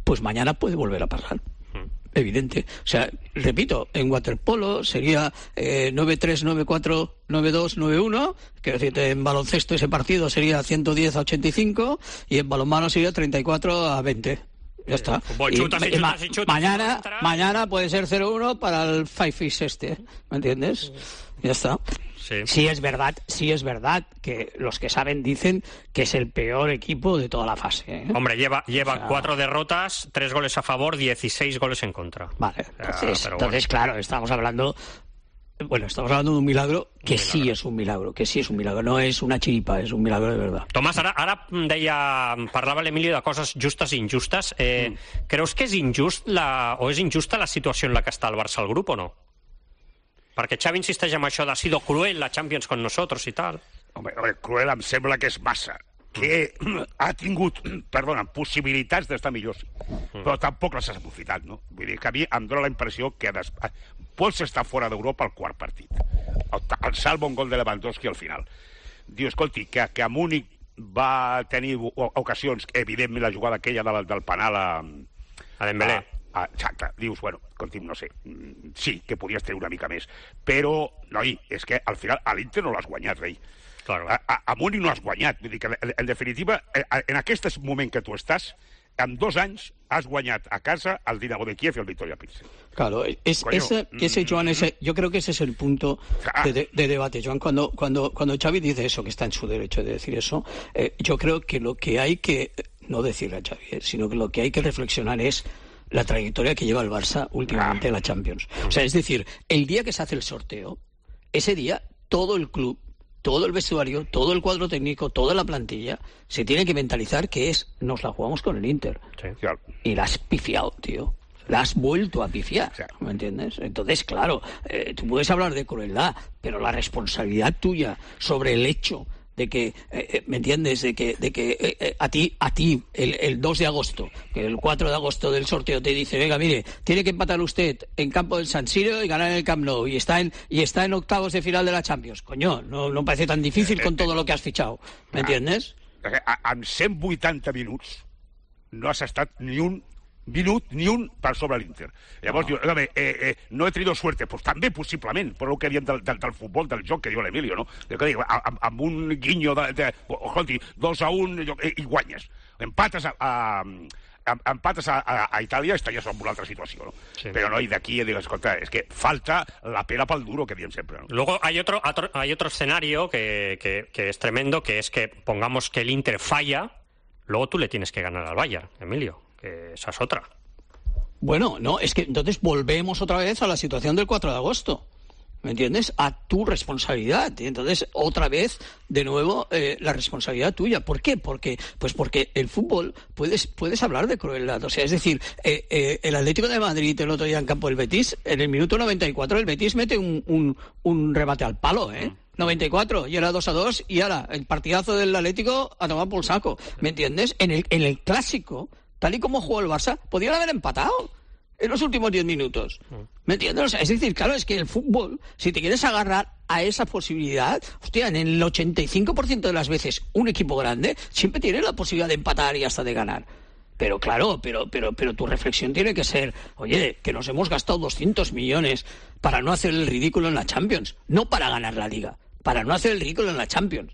pues mañana puede volver a pasar. Evidente. O sea, repito, en waterpolo sería eh, nueve tres, nueve cuatro, nueve dos, nueve uno, quiero decir, en baloncesto ese partido sería ciento diez a ochenta y cinco y en balonmano sería treinta y cuatro a veinte. Ya está. Fútbol, chutas y, y, chutas y chutas, mañana, mañana puede ser cero uno para el Five Fish este, ¿me entiendes? Ya está. Sí. sí es verdad, sí es verdad que los que saben dicen que es el peor equipo de toda la fase, ¿eh? Hombre, lleva, lleva o sea... cuatro derrotas, tres goles a favor, dieciséis goles en contra. Vale, entonces, uh, entonces bueno. claro, estamos hablando... Bueno, estamos hablando de un milagro que un milagro. sí es un milagro, que sí és un milagro, no és una xiripa, és un milagro de verdad. Tomàs, ara, ara deia, parlava l'Emili de coses justes i injustes. Eh, mm. Creus que és injust la, o és injusta la situació en la que està el Barça al grup o no? Perquè Xavi insisteix en això de ha sido cruel la Champions con nosotros i tal. Home, home cruel em sembla que és massa. Que ha tingut, perdona, possibilitats d'estar millor, però tampoc les has aprofitat, no? Vull dir que a mi em dóna la impressió que des... pots estar fora d'Europa al quart partit. El, el salvo un gol de Lewandowski al final. Diu, escolti, que, que a Múnich va tenir ocasions, evidentment la jugada aquella del, del penal a... A Dembélé. A, a, exacte, dius, bueno, escolti, no sé, sí, que podies tenir una mica més, però, noi, és que al final a l'Inter no l'has guanyat, rei. Claro. A, a, a Múnich no has guanyat. Vull dir que, en, en definitiva, en aquest moment que tu estàs, en dos anys has guanyat a casa al Dinamo de Kiev y al Victoria Pilsen. Claro, es, Coño, ese, que ese, Joan, ese, yo creo que ese es el punto de, de, de debate, Joan. Cuando, cuando, cuando Xavi dice eso, que está en su derecho de decir eso, eh, yo creo que lo que hay que, no decirle a Xavi, eh, sino que lo que hay que reflexionar es la trayectoria que lleva el Barça últimamente en la Champions. O sea, es decir, el día que se hace el sorteo, ese día todo el club, todo el vestuario, todo el cuadro técnico, toda la plantilla, se tiene que mentalizar que es, nos la jugamos con el Inter. Sí, claro. Y la has pifiado, tío. La has vuelto a pifiar, sí. ¿Me entiendes? Entonces, claro, eh, tú puedes hablar de crueldad, pero la responsabilidad tuya sobre el hecho de que, eh, ¿me entiendes? De que, de que eh, eh, a ti, a ti el, el dos de agosto, que el cuatro de agosto del sorteo te dice, venga, mire, tiene que empatar usted en campo del San Siro y ganar en el Camp Nou, y está en, y está en octavos de final de la Champions. Coño, no, no parece tan difícil con todo lo que has fichado, ¿me entiendes? En cent vuitanta minuts no has estat ni un minut ni un per sobre l'Inter. Llavors, no. diu, eh, eh, no he tenido suerte. Pues també, possiblement, per el que diem del, del, del futbol, del joc que diu l'Emilio, no? Que diu, amb, amb un guinyo de... de escolti, dos a un i, i guanyes. Empates a... a empates a, a, a Itàlia estaries en una altra situació, ¿no? Sí. Pero no, y de aquí digo, escolta, es que falta la pera pa'l duro que diem siempre, ¿no? Luego hay otro, otro, hay otro escenario que, que, que es tremendo, que es que pongamos que el Inter falla, luego tú le tienes que ganar al Bayern, Emilio. Esa es otra. Bueno, no, es que entonces volvemos otra vez a la situación del cuatro de agosto, ¿me entiendes? A tu responsabilidad. Y entonces, otra vez, de nuevo, eh, la responsabilidad tuya. ¿Por qué? Porque, pues porque el fútbol, puedes, puedes hablar de crueldad. O sea, es decir, eh, eh, el Atlético de Madrid el otro día en campo del Betis, en el minuto noventa y cuatro, el Betis mete un, un, un remate al palo, ¿eh? noventa y cuatro, y era dos a dos, y ahora, el partidazo del Atlético a tomar por saco. ¿Me entiendes? En el, en el clásico, tal y como jugó el Barça, podían haber empatado en los últimos diez minutos. ¿Me entiendes? O sea, es decir, claro, es que el fútbol, si te quieres agarrar a esa posibilidad, hostia, en el ochenta y cinco por ciento de las veces un equipo grande siempre tiene la posibilidad de empatar y hasta de ganar. Pero claro, pero, pero, pero tu reflexión tiene que ser, oye, que nos hemos gastado doscientos millones para no hacer el ridículo en la Champions, no para ganar la Liga, para no hacer el ridículo en la Champions.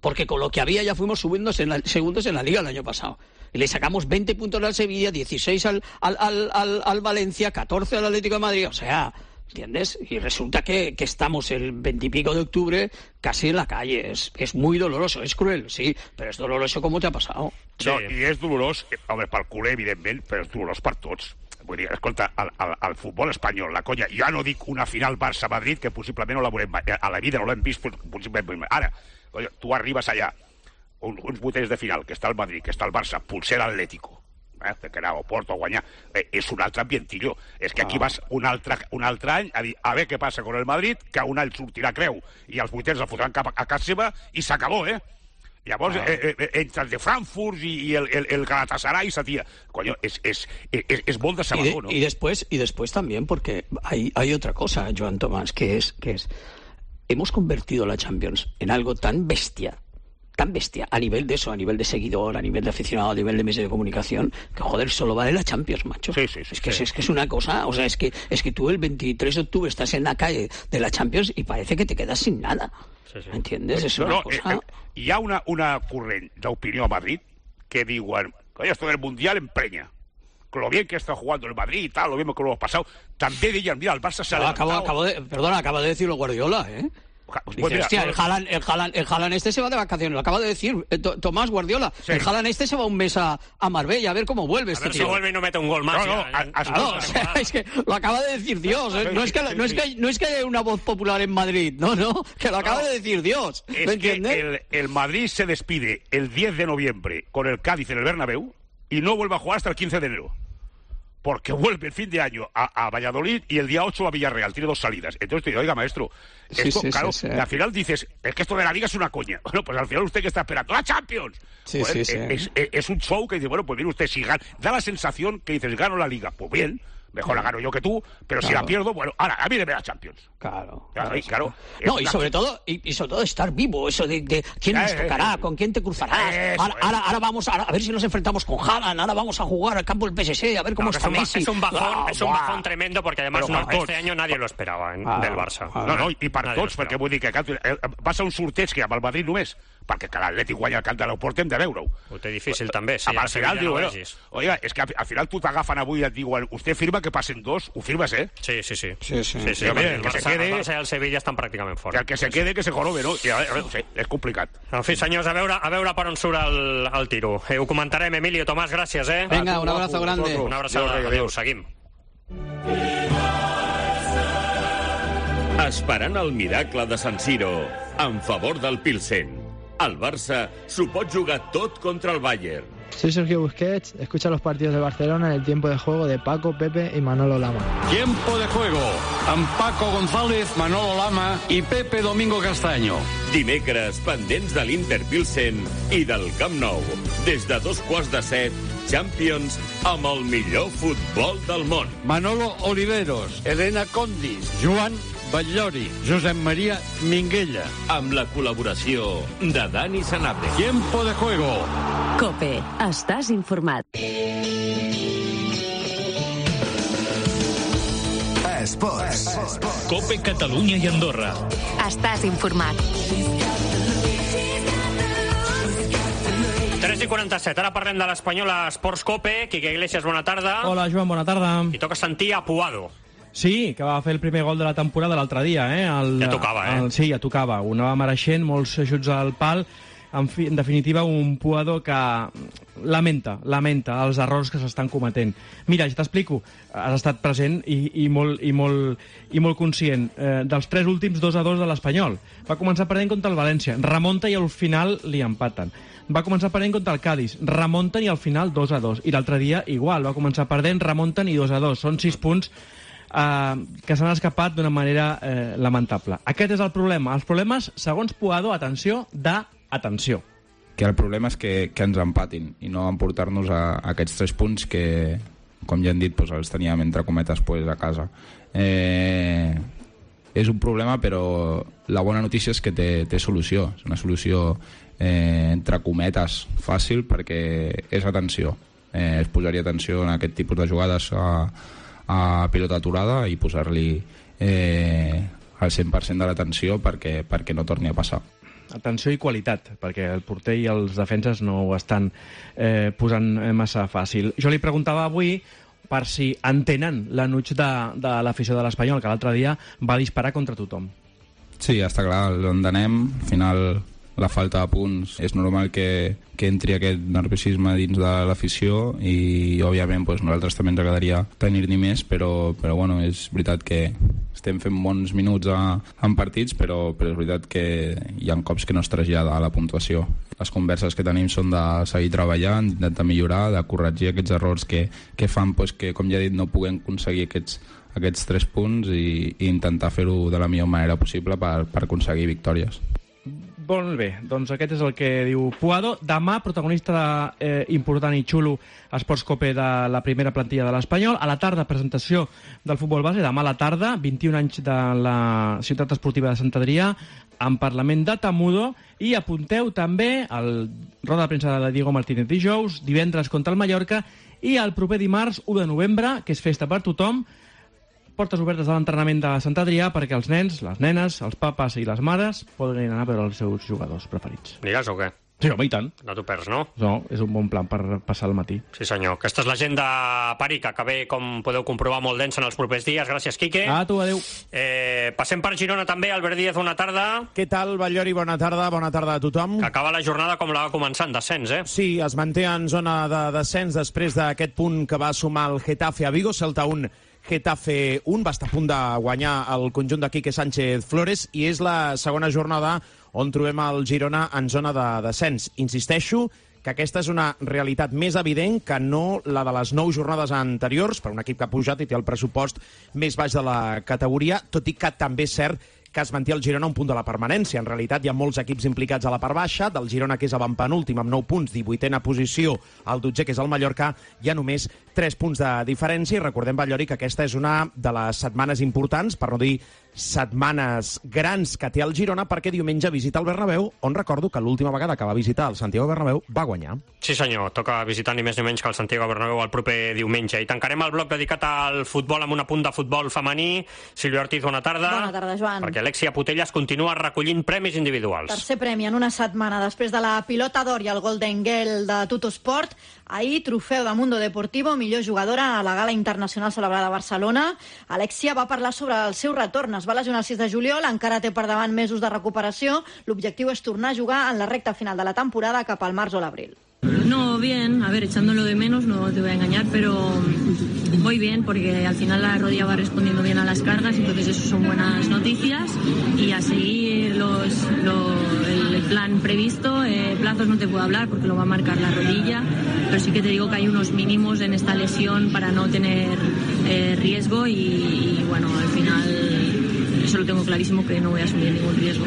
Porque con lo que había ya fuimos subiendo en la, segundos en la Liga el año pasado. Y le sacamos veinte puntos al Sevilla, dieciséis al, al, al, al, al Valencia, catorce al Atlético de Madrid. O sea, ¿entiendes? Y resulta que, que estamos el veintipico de octubre casi en la calle. Es, es muy doloroso, es cruel, sí, però és doloroso com te ha passat. Sí. No, i és dolorós, home, pel culer, evidentment, però és dolorós per tots. Vull dir, escolta, el, el, el futbol espanyol, la conya, jo no dic una final Barça-Madrid, que possiblement no la veurem mai, a la vida no l'hem vist, possiblement. Ara, conya, tu arribes allà, uns, uns vuitens de final, que està el Madrid, que està el Barça, potser l'Atlético, eh, que anar a Porto a guanyar, eh, és un altre ambientillo. És que aquí vas un altre, un altre any a dir, a veure què passa con el Madrid, que un any sortirà creu, i els vuitens el fotran cap a, a casa seva, i s'acabó, eh? Llavors, ah. eh, eh, entre el de Frankfurt i, i el, el, el Galatasaray, esa tía, coño, es, es, es, es molt de sabador, ¿no? Y después, y después también, porque hay, hay otra cosa, Joan Tomás, que es, que es, hemos convertido la Champions en algo tan bestia, tan bestia, a nivel de eso, a nivel de seguidor, a nivel de aficionado, a nivel de medios de comunicación, que joder, solo vale la Champions, macho. Sí, sí, sí, es, que, sí. Es, es que es una cosa, o sea, es que, es que tú el veintitrés de octubre estás en la calle de la Champions y parece que te quedas sin nada. Sí, sí. ¿Entiendes? Es no, una no, cosa... Eh, eh, hi ha una, una corrent d'opinió a Madrid que diuen, coño, esto del Mundial empreña. Con lo bien que está jugando el Madrid y tal, lo mismo que lo hemos pasado. También dirían, mira, el Barça se ha acabo, levantado. acabo de, perdona, acaba de decirlo Guardiola, ¿eh? Pues Dice, mira, hostia, no, el Haaland, el, Haaland, el Haaland este se va de vacaciones, lo acaba de decir eh, Tomás Guardiola. Sí. El Haaland este se va un mes a, a Marbella a ver cómo vuelve a este ver tío. si vuelve y no mete un gol más. No, no, ya, a, a, claro, o sea, es que lo acaba de decir Dios. ¿eh? No, es que, no, es que, no es que haya una voz popular en Madrid, no, no, que lo acaba no, de decir Dios. Es ¿Me entiendes? Que el, el Madrid se despide el diez de noviembre con el Cádiz en el Bernabéu y no vuelve a jugar hasta el quince de enero. Porque vuelve el fin de año a, a Valladolid y el día ocho a Villarreal. Tiene dos salidas. Entonces te digo, oiga, maestro, sí, esto, sí, claro, sí, sí. al final dices, es que esto de la Liga es una coña. Bueno, pues al final usted que está esperando ¡la Champions! Sí, pues sí, sí. Es, es, es un show que dice, bueno, pues mire usted, si gana, da la sensación que dices, gano la Liga. Pues bien, mejor la gano yo que tú, pero claro. Si la pierdo, bueno, ahora, a mí deme la Champions. Claro. Claro, y, claro no, y sobre todo, y, y sobre todo estar vivo, eso de, de quién nos tocará, con quién te cruzarás. Eso, ahora, ahora, ahora vamos a, a ver si nos enfrentamos con Haaland, ahora vamos a jugar al campo del P S G, a ver cómo no, está es un, Messi. Es un bajón, ah, es un bajón tremendo, porque además no, este año nadie lo esperava eh, ah, del Barça. Ah, no, no, i per nadie tots, perquè vull dir que va ser un sorteig que amb el Madrid només, perquè que l'Atlètic guanya el camp de l'Euport hem de veure-ho. Ho té difícil també, sí. Al final diu, bueno, oiga, és que al final tu t'agafen avui i et diuen, usted firma que passen dos, ho firmes, eh? Sí, sí, sí. Sí, sí. sí, sí el, el, que Barça, se quede, el Barça i el Sevilla estan pràcticament fora. Que el que se quede, que se jorobe, no? I, a veure, sí, és complicat. En fi, senyors, a veure, a veure per on surt el, el tiro. Eh, ho comentarem, Emilio, Tomàs, gràcies, eh? Venga, un abrazo grande. Una abraçada, adéu, seguim. Esperant el miracle de San Siro en favor del Pilsen. El Barça s'ho pot jugar tot contra el Bayern. Soy Sergio Busquets, escucha los partidos de Barcelona en el tiempo de juego de Paco, Pepe y Manolo Lama. Tiempo de juego amb Paco González, Manolo Lama i Pepe Domingo Castaño. Dimecres, pendents de l'Inter Pilsen i del Camp Nou. Des de dos quarts de set, Champions amb el millor futbol del món. Manolo Oliveros, Elena Condis, Joan Batllori, Josep Maria Minguella. Amb la col·laboració de Dani Sanabria. Tiempo de juego. COPE. Estàs informat. Esports. COPE Catalunya i Andorra. Estàs informat. tres i quaranta-set, ara parlem de l'Espanyola Esports COPE. Quique Iglesias, bona tarda. Hola, Joan, bona tarda. I toca sentir a Puado. Sí, que va fer el primer gol de la temporada l'altre dia, eh? El, ja tocava, eh? El, sí, ja tocava. Ho anava mereixent, molts ajuts al pal. En, fi, en definitiva, un Puado que lamenta, lamenta els errors que s'estan cometent. Mira, ja t'explico. Has estat present i, i, molt, i, molt, i molt conscient. Eh, dels tres últims dos a dos de l'Espanyol. Va començar perdent contra el València. Remonta i al final li empaten. Va començar perdent contra el Cádiz. Remunten i al final dos a dos. I l'altre dia igual. Va començar perdent, remunten i dos a dos. Són sis punts Uh, que s'han escapat d'una manera uh, lamentable. Aquest és el problema. Els problemes, segons Puado, atenció, d'atenció. Que el problema és que, que ens empatin i no emportar-nos a, a aquests tres punts que, com ja hem dit, doncs els teníem entre cometes pues, a casa. Eh, és un problema, però la bona notícia és que té, té solució. És una solució eh, entre cometes fàcil perquè és atenció. Eh, es posaria atenció en aquest tipus de jugades a a pilota aturada i posar-li eh, el cent per cent de l'atenció perquè, perquè no torni a passar. Atenció i qualitat, perquè el porter i els defenses no ho estan eh, posant massa fàcil. Jo li preguntava avui per si entenen l'anuig de, de l'afició de l'Espanyol, que l'altre dia va disparar contra tothom. Sí, està clar, l'entenem. Al final, la falta de punts, és normal que, que entri aquest nerviosisme dins de l'afició i, òbviament, doncs, nosaltres també ens agradaria tenir-n'hi més, però, però bueno, és veritat que estem fent bons minuts a, en partits, però, però és veritat que hi ha cops que no es trasllada a la puntuació. Les converses que tenim són de seguir treballant, d'intentar millorar, de corregir aquests errors que, que fan doncs, que, com ja he dit, no puguem aconseguir aquests, aquests tres punts i, i intentar fer-ho de la millor manera possible per, per aconseguir victòries. Molt bé, doncs aquest és el que diu Puado. Demà, protagonista de, eh, important i xulo a Esports Cope de la primera plantilla de l'Espanyol. A la tarda, presentació del futbol base. Demà a la tarda, vint-i-un anys de la ciutat esportiva de Sant Adrià, en Parlament de Tamudo. I apunteu també el roda de premsa de Diego Martínez dijous, divendres contra el Mallorca, i el proper dimarts, u de novembre, que és festa per tothom, portes obertes de l'entrenament de Sant Adrià perquè els nens, les nenes, els papes i les mares poden anar a veure els seus jugadors preferits. Digues o què? Sí, home, i tant. No t'ho perds, no? No, és un bon plan per passar el matí. Sí, senyor. Aquesta és l'agenda Parica, que ve, com podeu comprovar, molt densa en els propers dies. Gràcies, Quique. A tu, adéu. Eh, passem per Girona també. Albert Díaz, bona tarda. Què tal, Batllori? Bona tarda. Bona tarda a tothom. Que acaba la jornada com la va començar, en descens, eh? Sí, es manté en zona de descens després d'aquest punt que va sumar el Getafe a Vigo. Celta un, Getafe un, va estar a punt de guanyar el conjunt de Quique Sánchez Flores i és la segona jornada on trobem el Girona en zona de descens. Insisteixo que aquesta és una realitat més evident que no la de les nou jornades anteriors per un equip que ha pujat i té el pressupost més baix de la categoria, tot i que també és cert que es manté el Girona a un punt de la permanència. En realitat hi ha molts equips implicats a la part baixa, del Girona, que és avantpenúltim amb nou punts, divuitena posició, el dotzer, que és el Mallorca, hi ha només tres punts de diferència, i recordem, Batllori, que aquesta és una de les setmanes importants, per no dir setmanes grans que té el Girona, perquè diumenge visita el Bernabéu, on recordo que l'última vegada que va visitar el Santiago Bernabéu va guanyar. Sí, senyor, toca visitar ni més ni menys que el Santiago Bernabéu el proper diumenge. I tancarem el bloc dedicat al futbol amb un apunt de futbol femení. Sílvia Ortiz, bona tarda. Bona tarda, Joan. Perquè Alexia Putellas continua recollint premis individuals. Tercer premi en una setmana després de la pilota d'or i el Golden Girl de Tuttosport. Ahir, trofeu de Mundo Deportivo, millor jugadora a la gala internacional celebrada a Barcelona. Alexia va parlar sobre el seu retorn. Es va lesionar el sis de juliol, encara té per davant mesos de recuperació. L'objectiu és tornar a jugar en la recta final de la temporada cap al març o l'abril. No, bien, a ver, echándolo de menos, no te voy a engañar, pero voy bien porque al final la rodilla va respondiendo bien a las cargas, entonces eso son buenas noticias y a seguir los, lo, el plan previsto. Eh, plazos no te puedo hablar porque lo va a marcar la rodilla, pero sí que te digo que hay unos mínimos en esta lesión para no tener eh, riesgo y, y bueno, al final eso lo tengo clarísimo que no voy a asumir ningún riesgo.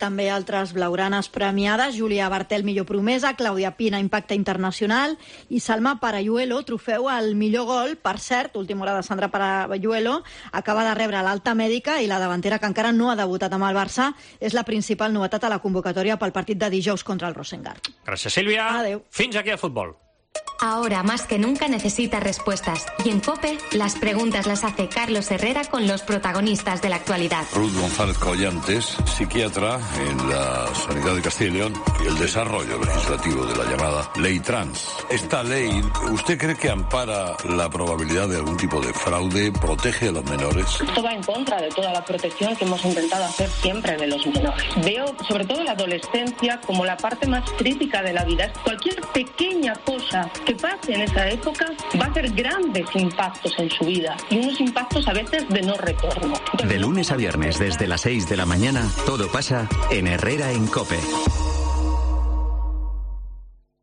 També altres blaugranes premiades, Júlia Bartel, millor promesa, Clàudia Pina, impacte internacional, i Salma Parayuelo, trofeu al millor gol. Per cert, última hora de Sandra Parayuelo, acaba de rebre l'alta mèdica i la davantera, que encara no ha debutat amb el Barça, és la principal novetat a la convocatòria pel partit de dijous contra el Rosengard. Gràcies, Sílvia. Adéu. Fins aquí el futbol. Ahora más que nunca necesitas respuestas. Y en COPE, las preguntas las hace Carlos Herrera con los protagonistas de la actualidad. Ruth González Collantes, psiquiatra en la Sanidad de Castilla y León, y el desarrollo legislativo de la llamada Ley Trans. Esta ley, ¿usted cree que ampara la probabilidad de algún tipo de fraude, protege a los menores? Esto va en contra de toda la protección que hemos intentado hacer siempre de los menores. Veo sobre todo la adolescencia como la parte más crítica de la vida. Cualquier pequeña cosa que pase en esa época va a hacer grandes impactos en su vida y unos impactos a veces de no retorno. De lunes a viernes desde las seis de la mañana, todo pasa en Herrera en COPE.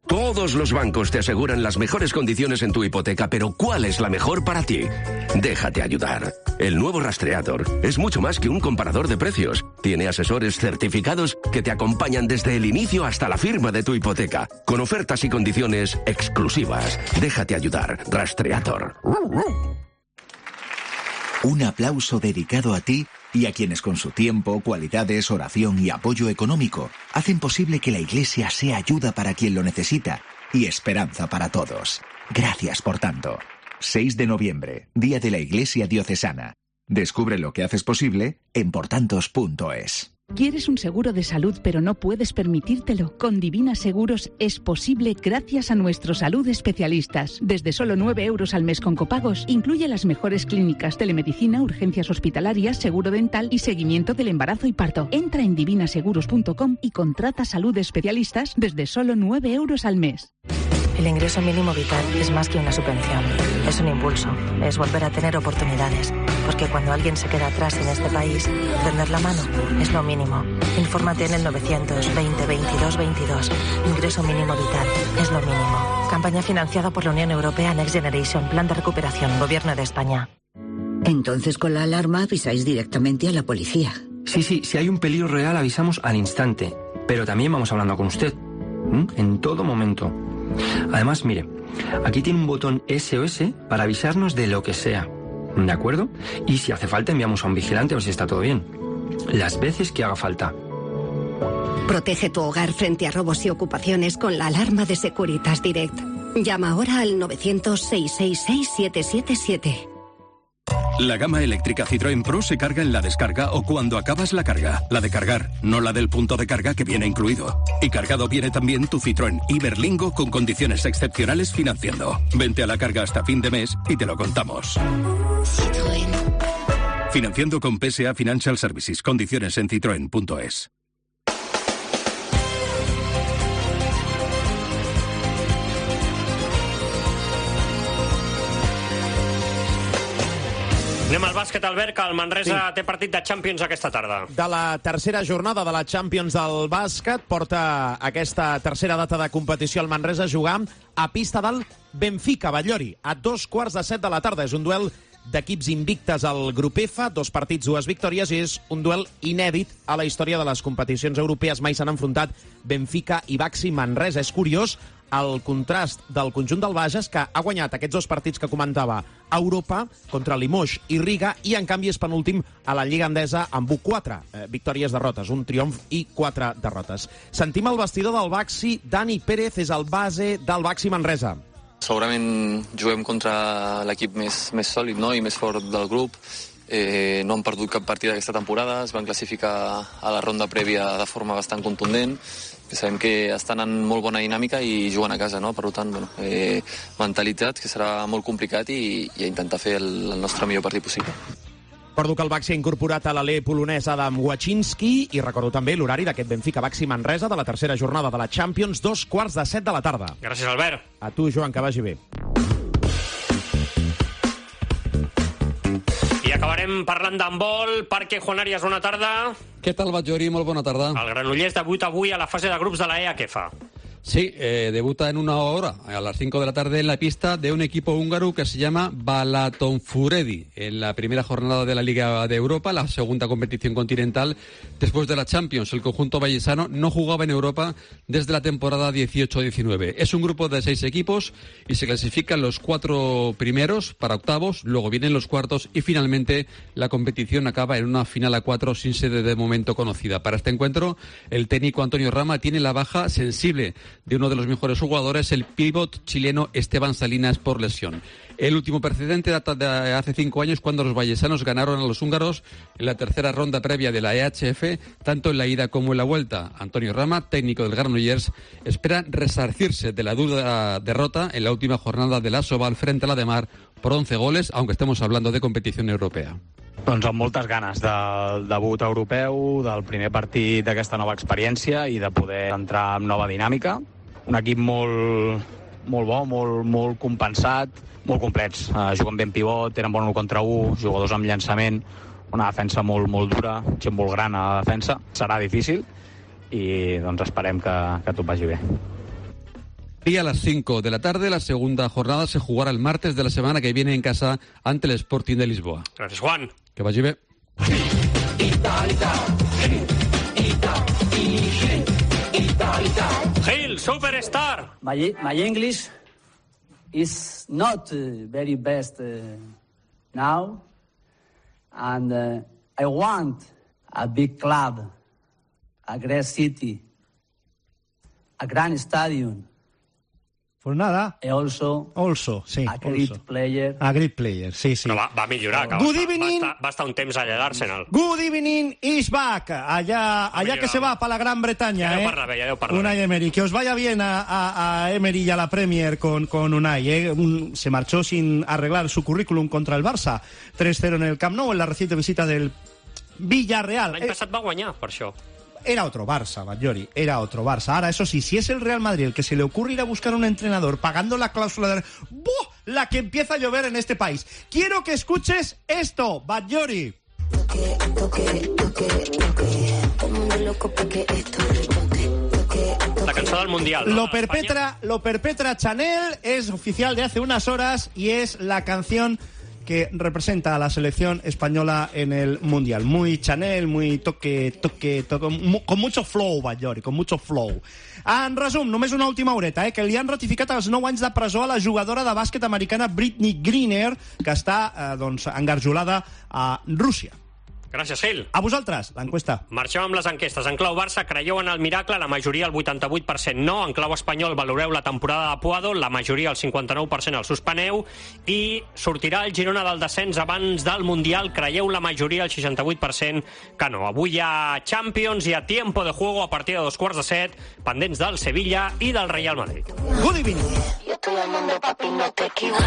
Todos los bancos te aseguran las mejores condiciones en tu hipoteca, pero ¿cuál es la mejor para ti? Déjate ayudar. El nuevo Rastreator es mucho más que un comparador de precios. Tiene asesores certificados que te acompañan desde el inicio hasta la firma de tu hipoteca, con ofertas y condiciones exclusivas. Déjate ayudar. Rastreator. Un aplauso dedicado a ti y a quienes con su tiempo, cualidades, oración y apoyo económico hacen posible que la Iglesia sea ayuda para quien lo necesita y esperanza para todos. Gracias por tanto. seis de noviembre, Día de la Iglesia Diocesana. Descubre lo que haces posible en portantos punto es. ¿Quieres un seguro de salud pero no puedes permitírtelo? Con Divina Seguros es posible gracias a nuestros salud especialistas. Desde solo nueve euros al mes con copagos, incluye las mejores clínicas, telemedicina, urgencias hospitalarias, seguro dental y seguimiento del embarazo y parto. Entra en divina seguros punto com y contrata salud especialistas desde solo nueve euros al mes. El ingreso mínimo vital es más que una subvención, es un impulso, es volver a tener oportunidades, porque cuando alguien se queda atrás en este país, tender la mano es lo mínimo. Infórmate en el novecientos veinte veintidós veintidós. Ingreso mínimo vital es lo mínimo. Campaña financiada por la Unión Europea Next Generation, Plan de Recuperación, Gobierno de España. Entonces con la alarma avisáis directamente a la policía. Sí, sí, si hay un peligro real avisamos al instante, pero también vamos hablando con usted, ¿m? En todo momento. Además, mire, aquí tiene un botón S O S para avisarnos de lo que sea, ¿de acuerdo? Y si hace falta enviamos a un vigilante a ver si está todo bien. Las veces que haga falta. Protege tu hogar frente a robos y ocupaciones con la alarma de Securitas Direct. Llama ahora al novecientos seis seis seis siete siete siete. La gama eléctrica Citroën Pro se carga en la descarga o cuando acabas la carga. La de cargar, no la del punto de carga que viene incluido. Y cargado viene también tu Citroën Iberlingo con condiciones excepcionales financiando. Vente a la carga hasta fin de mes y te lo contamos. Citroën. Financiando con P S A Financial Services. Condiciones en citroen punto es. Anem al bàsquet, Albert, que el Manresa sí. té partit de Champions aquesta tarda. De la tercera jornada de la Champions del bàsquet, porta aquesta tercera data de competició al Manresa a jugar a pista del Benfica Batllori, a dos quarts de set de la tarda. És un duel d'equips invictes al grup F, dos partits, dues victòries, i és un duel inèdit a la història de les competicions europees. Mai s'han enfrontat Benfica i Baxi Manresa. És curiós el contrast del conjunt del Bages, que ha guanyat aquests dos partits que comentava a Europa contra Limoges i Riga, i en canvi és penúltim a la Lliga Endesa amb quatre eh, victòries, derrotes, un triomf i quatre derrotes. Sentim el vestidor del Baxi. Dani Pérez és el base del Baxi Manresa. Segurament juguem contra l'equip més, més sòlid, no?, i més fort del grup. Eh, no han perdut cap partit aquesta temporada, es van classificar a la ronda prèvia de forma bastant contundent. Sabem que estan en molt bona dinàmica i juguen a casa, no? Per tant, bueno, eh, mentalitat, que serà molt complicat, i, i a intentar fer el, el nostre millor partit possible. Recordo que el Baxi ha incorporat a l'alè polonès Adam Wachinski, i recordo també l'horari d'aquest Benfica Baxi Manresa de la tercera jornada de la Champions, dos quarts de set de la tarda. Gràcies, Albert. A tu, Joan, que vagi bé. I acabarem parlant d'handbol. Parque Juan Arias, bona tarda. Què tal, Batllori? Molt bona tarda. El Granollers debuta avui a la fase de grups de la E A. ¿Qué fa? Sí, eh, debuta en una hora, a las cinco de la tarde, en la pista de un equipo húngaro que se llama Balatonfuredi, en la primera jornada de la Liga de Europa, la segunda competición continental después de la Champions. El conjunto vallesano no jugaba en Europa desde la temporada dieciocho diecinueve. Es un grupo de seis equipos y se clasifican los cuatro primeros para octavos, luego vienen los cuartos y finalmente la competición acaba en una final a cuatro sin sede de momento conocida. Para este encuentro, el técnico Antonio Rama tiene la baja sensible de uno de los mejores jugadores, el pívot chileno Esteban Salinas, por lesión. El último precedente data de hace cinco años, cuando los vallesanos ganaron a los húngaros en la tercera ronda previa de la E H F, tanto en la ida como en la vuelta. Antonio Rama, técnico del Granollers, espera resarcirse de la dura derrota en la última jornada de la Sobal frente a la de Mar por once goles, aunque estemos hablando de competición europea. Doncs amb moltes ganes del debut europeu, del primer partit d'aquesta nova experiència i de poder entrar en nova dinàmica. Un equip molt, molt bo, molt, molt compensat, molt complets. Uh, juguen ben pivot, tenen bon un contra un, jugadors amb llançament, una defensa molt, molt dura, gent molt gran a la defensa. Serà difícil i doncs esperem que, que tot vagi bé. Y a las cinco de la tarde, la segunda jornada se jugará el martes de la semana que viene en casa ante el Sporting de Lisboa. Gracias, Juan. Que vagi bé. Gil, superstar. My, my English is not uh, very best uh, now, and uh, I want a big club, a great city, a grand stadium, Pues nada. Also, also, sí. A great also. player. A great player, sí, sí. Però va, va millorar, que Good va, evening. va, estar, va estar un temps allà a l'Arsenal. Good evening is back. Allá, allá que se va para la Gran Bretaña, ja eh. deu parlar bé, ja deu parlar bé. Unai Emery. Que os vaya bien a, a, a Emery y a la Premier con, con Unai, eh. Un, se marchó sin arreglar su currículum contra el Barça. tres cero en el Camp Nou, en la reciente visita del Villarreal. L'any passat va guanyar, per això. Era otro Barça, Batllori, era otro Barça. Ahora, eso sí, si es el Real Madrid el que se le ocurre ir a buscar un entrenador pagando la cláusula de... ¡Buah! La que empieza a llover en este país. Quiero que escuches esto, Batllori. La cançó del Mundial, ¿no? Lo perpetra, lo perpetra Chanel, es oficial de hace unas horas y es la canción que representa a la selección española en el Mundial. Muy Chanel, muy toque, toque, toque mu con mucho flow, Batllori, con mucho flow. En resum, només una última horeta, eh, que li han ratificat els nou anys de presó a la jugadora de bàsquet americana Brittney Griner, que està eh, doncs, engarjolada a Rússia. Gràcies, Gil. A vosaltres, l'enquesta. Marxem amb les enquestes. En clau Barça, creieu en el miracle? La majoria, el vuitanta-vuit per cent no. En clau espanyol, valoreu la temporada de Puado? La majoria, el cinquanta-nou per cent, el suspeneu. I sortirà el Girona del descens abans del Mundial? Creieu la majoria, el seixanta-vuit per cent, que no. Avui hi ha Champions, hi ha tiempo de juego a partir de dos quarts de set, pendents del Sevilla i del Real Madrid. Good evening. Yo todo el mundo, papi, no te equivoques.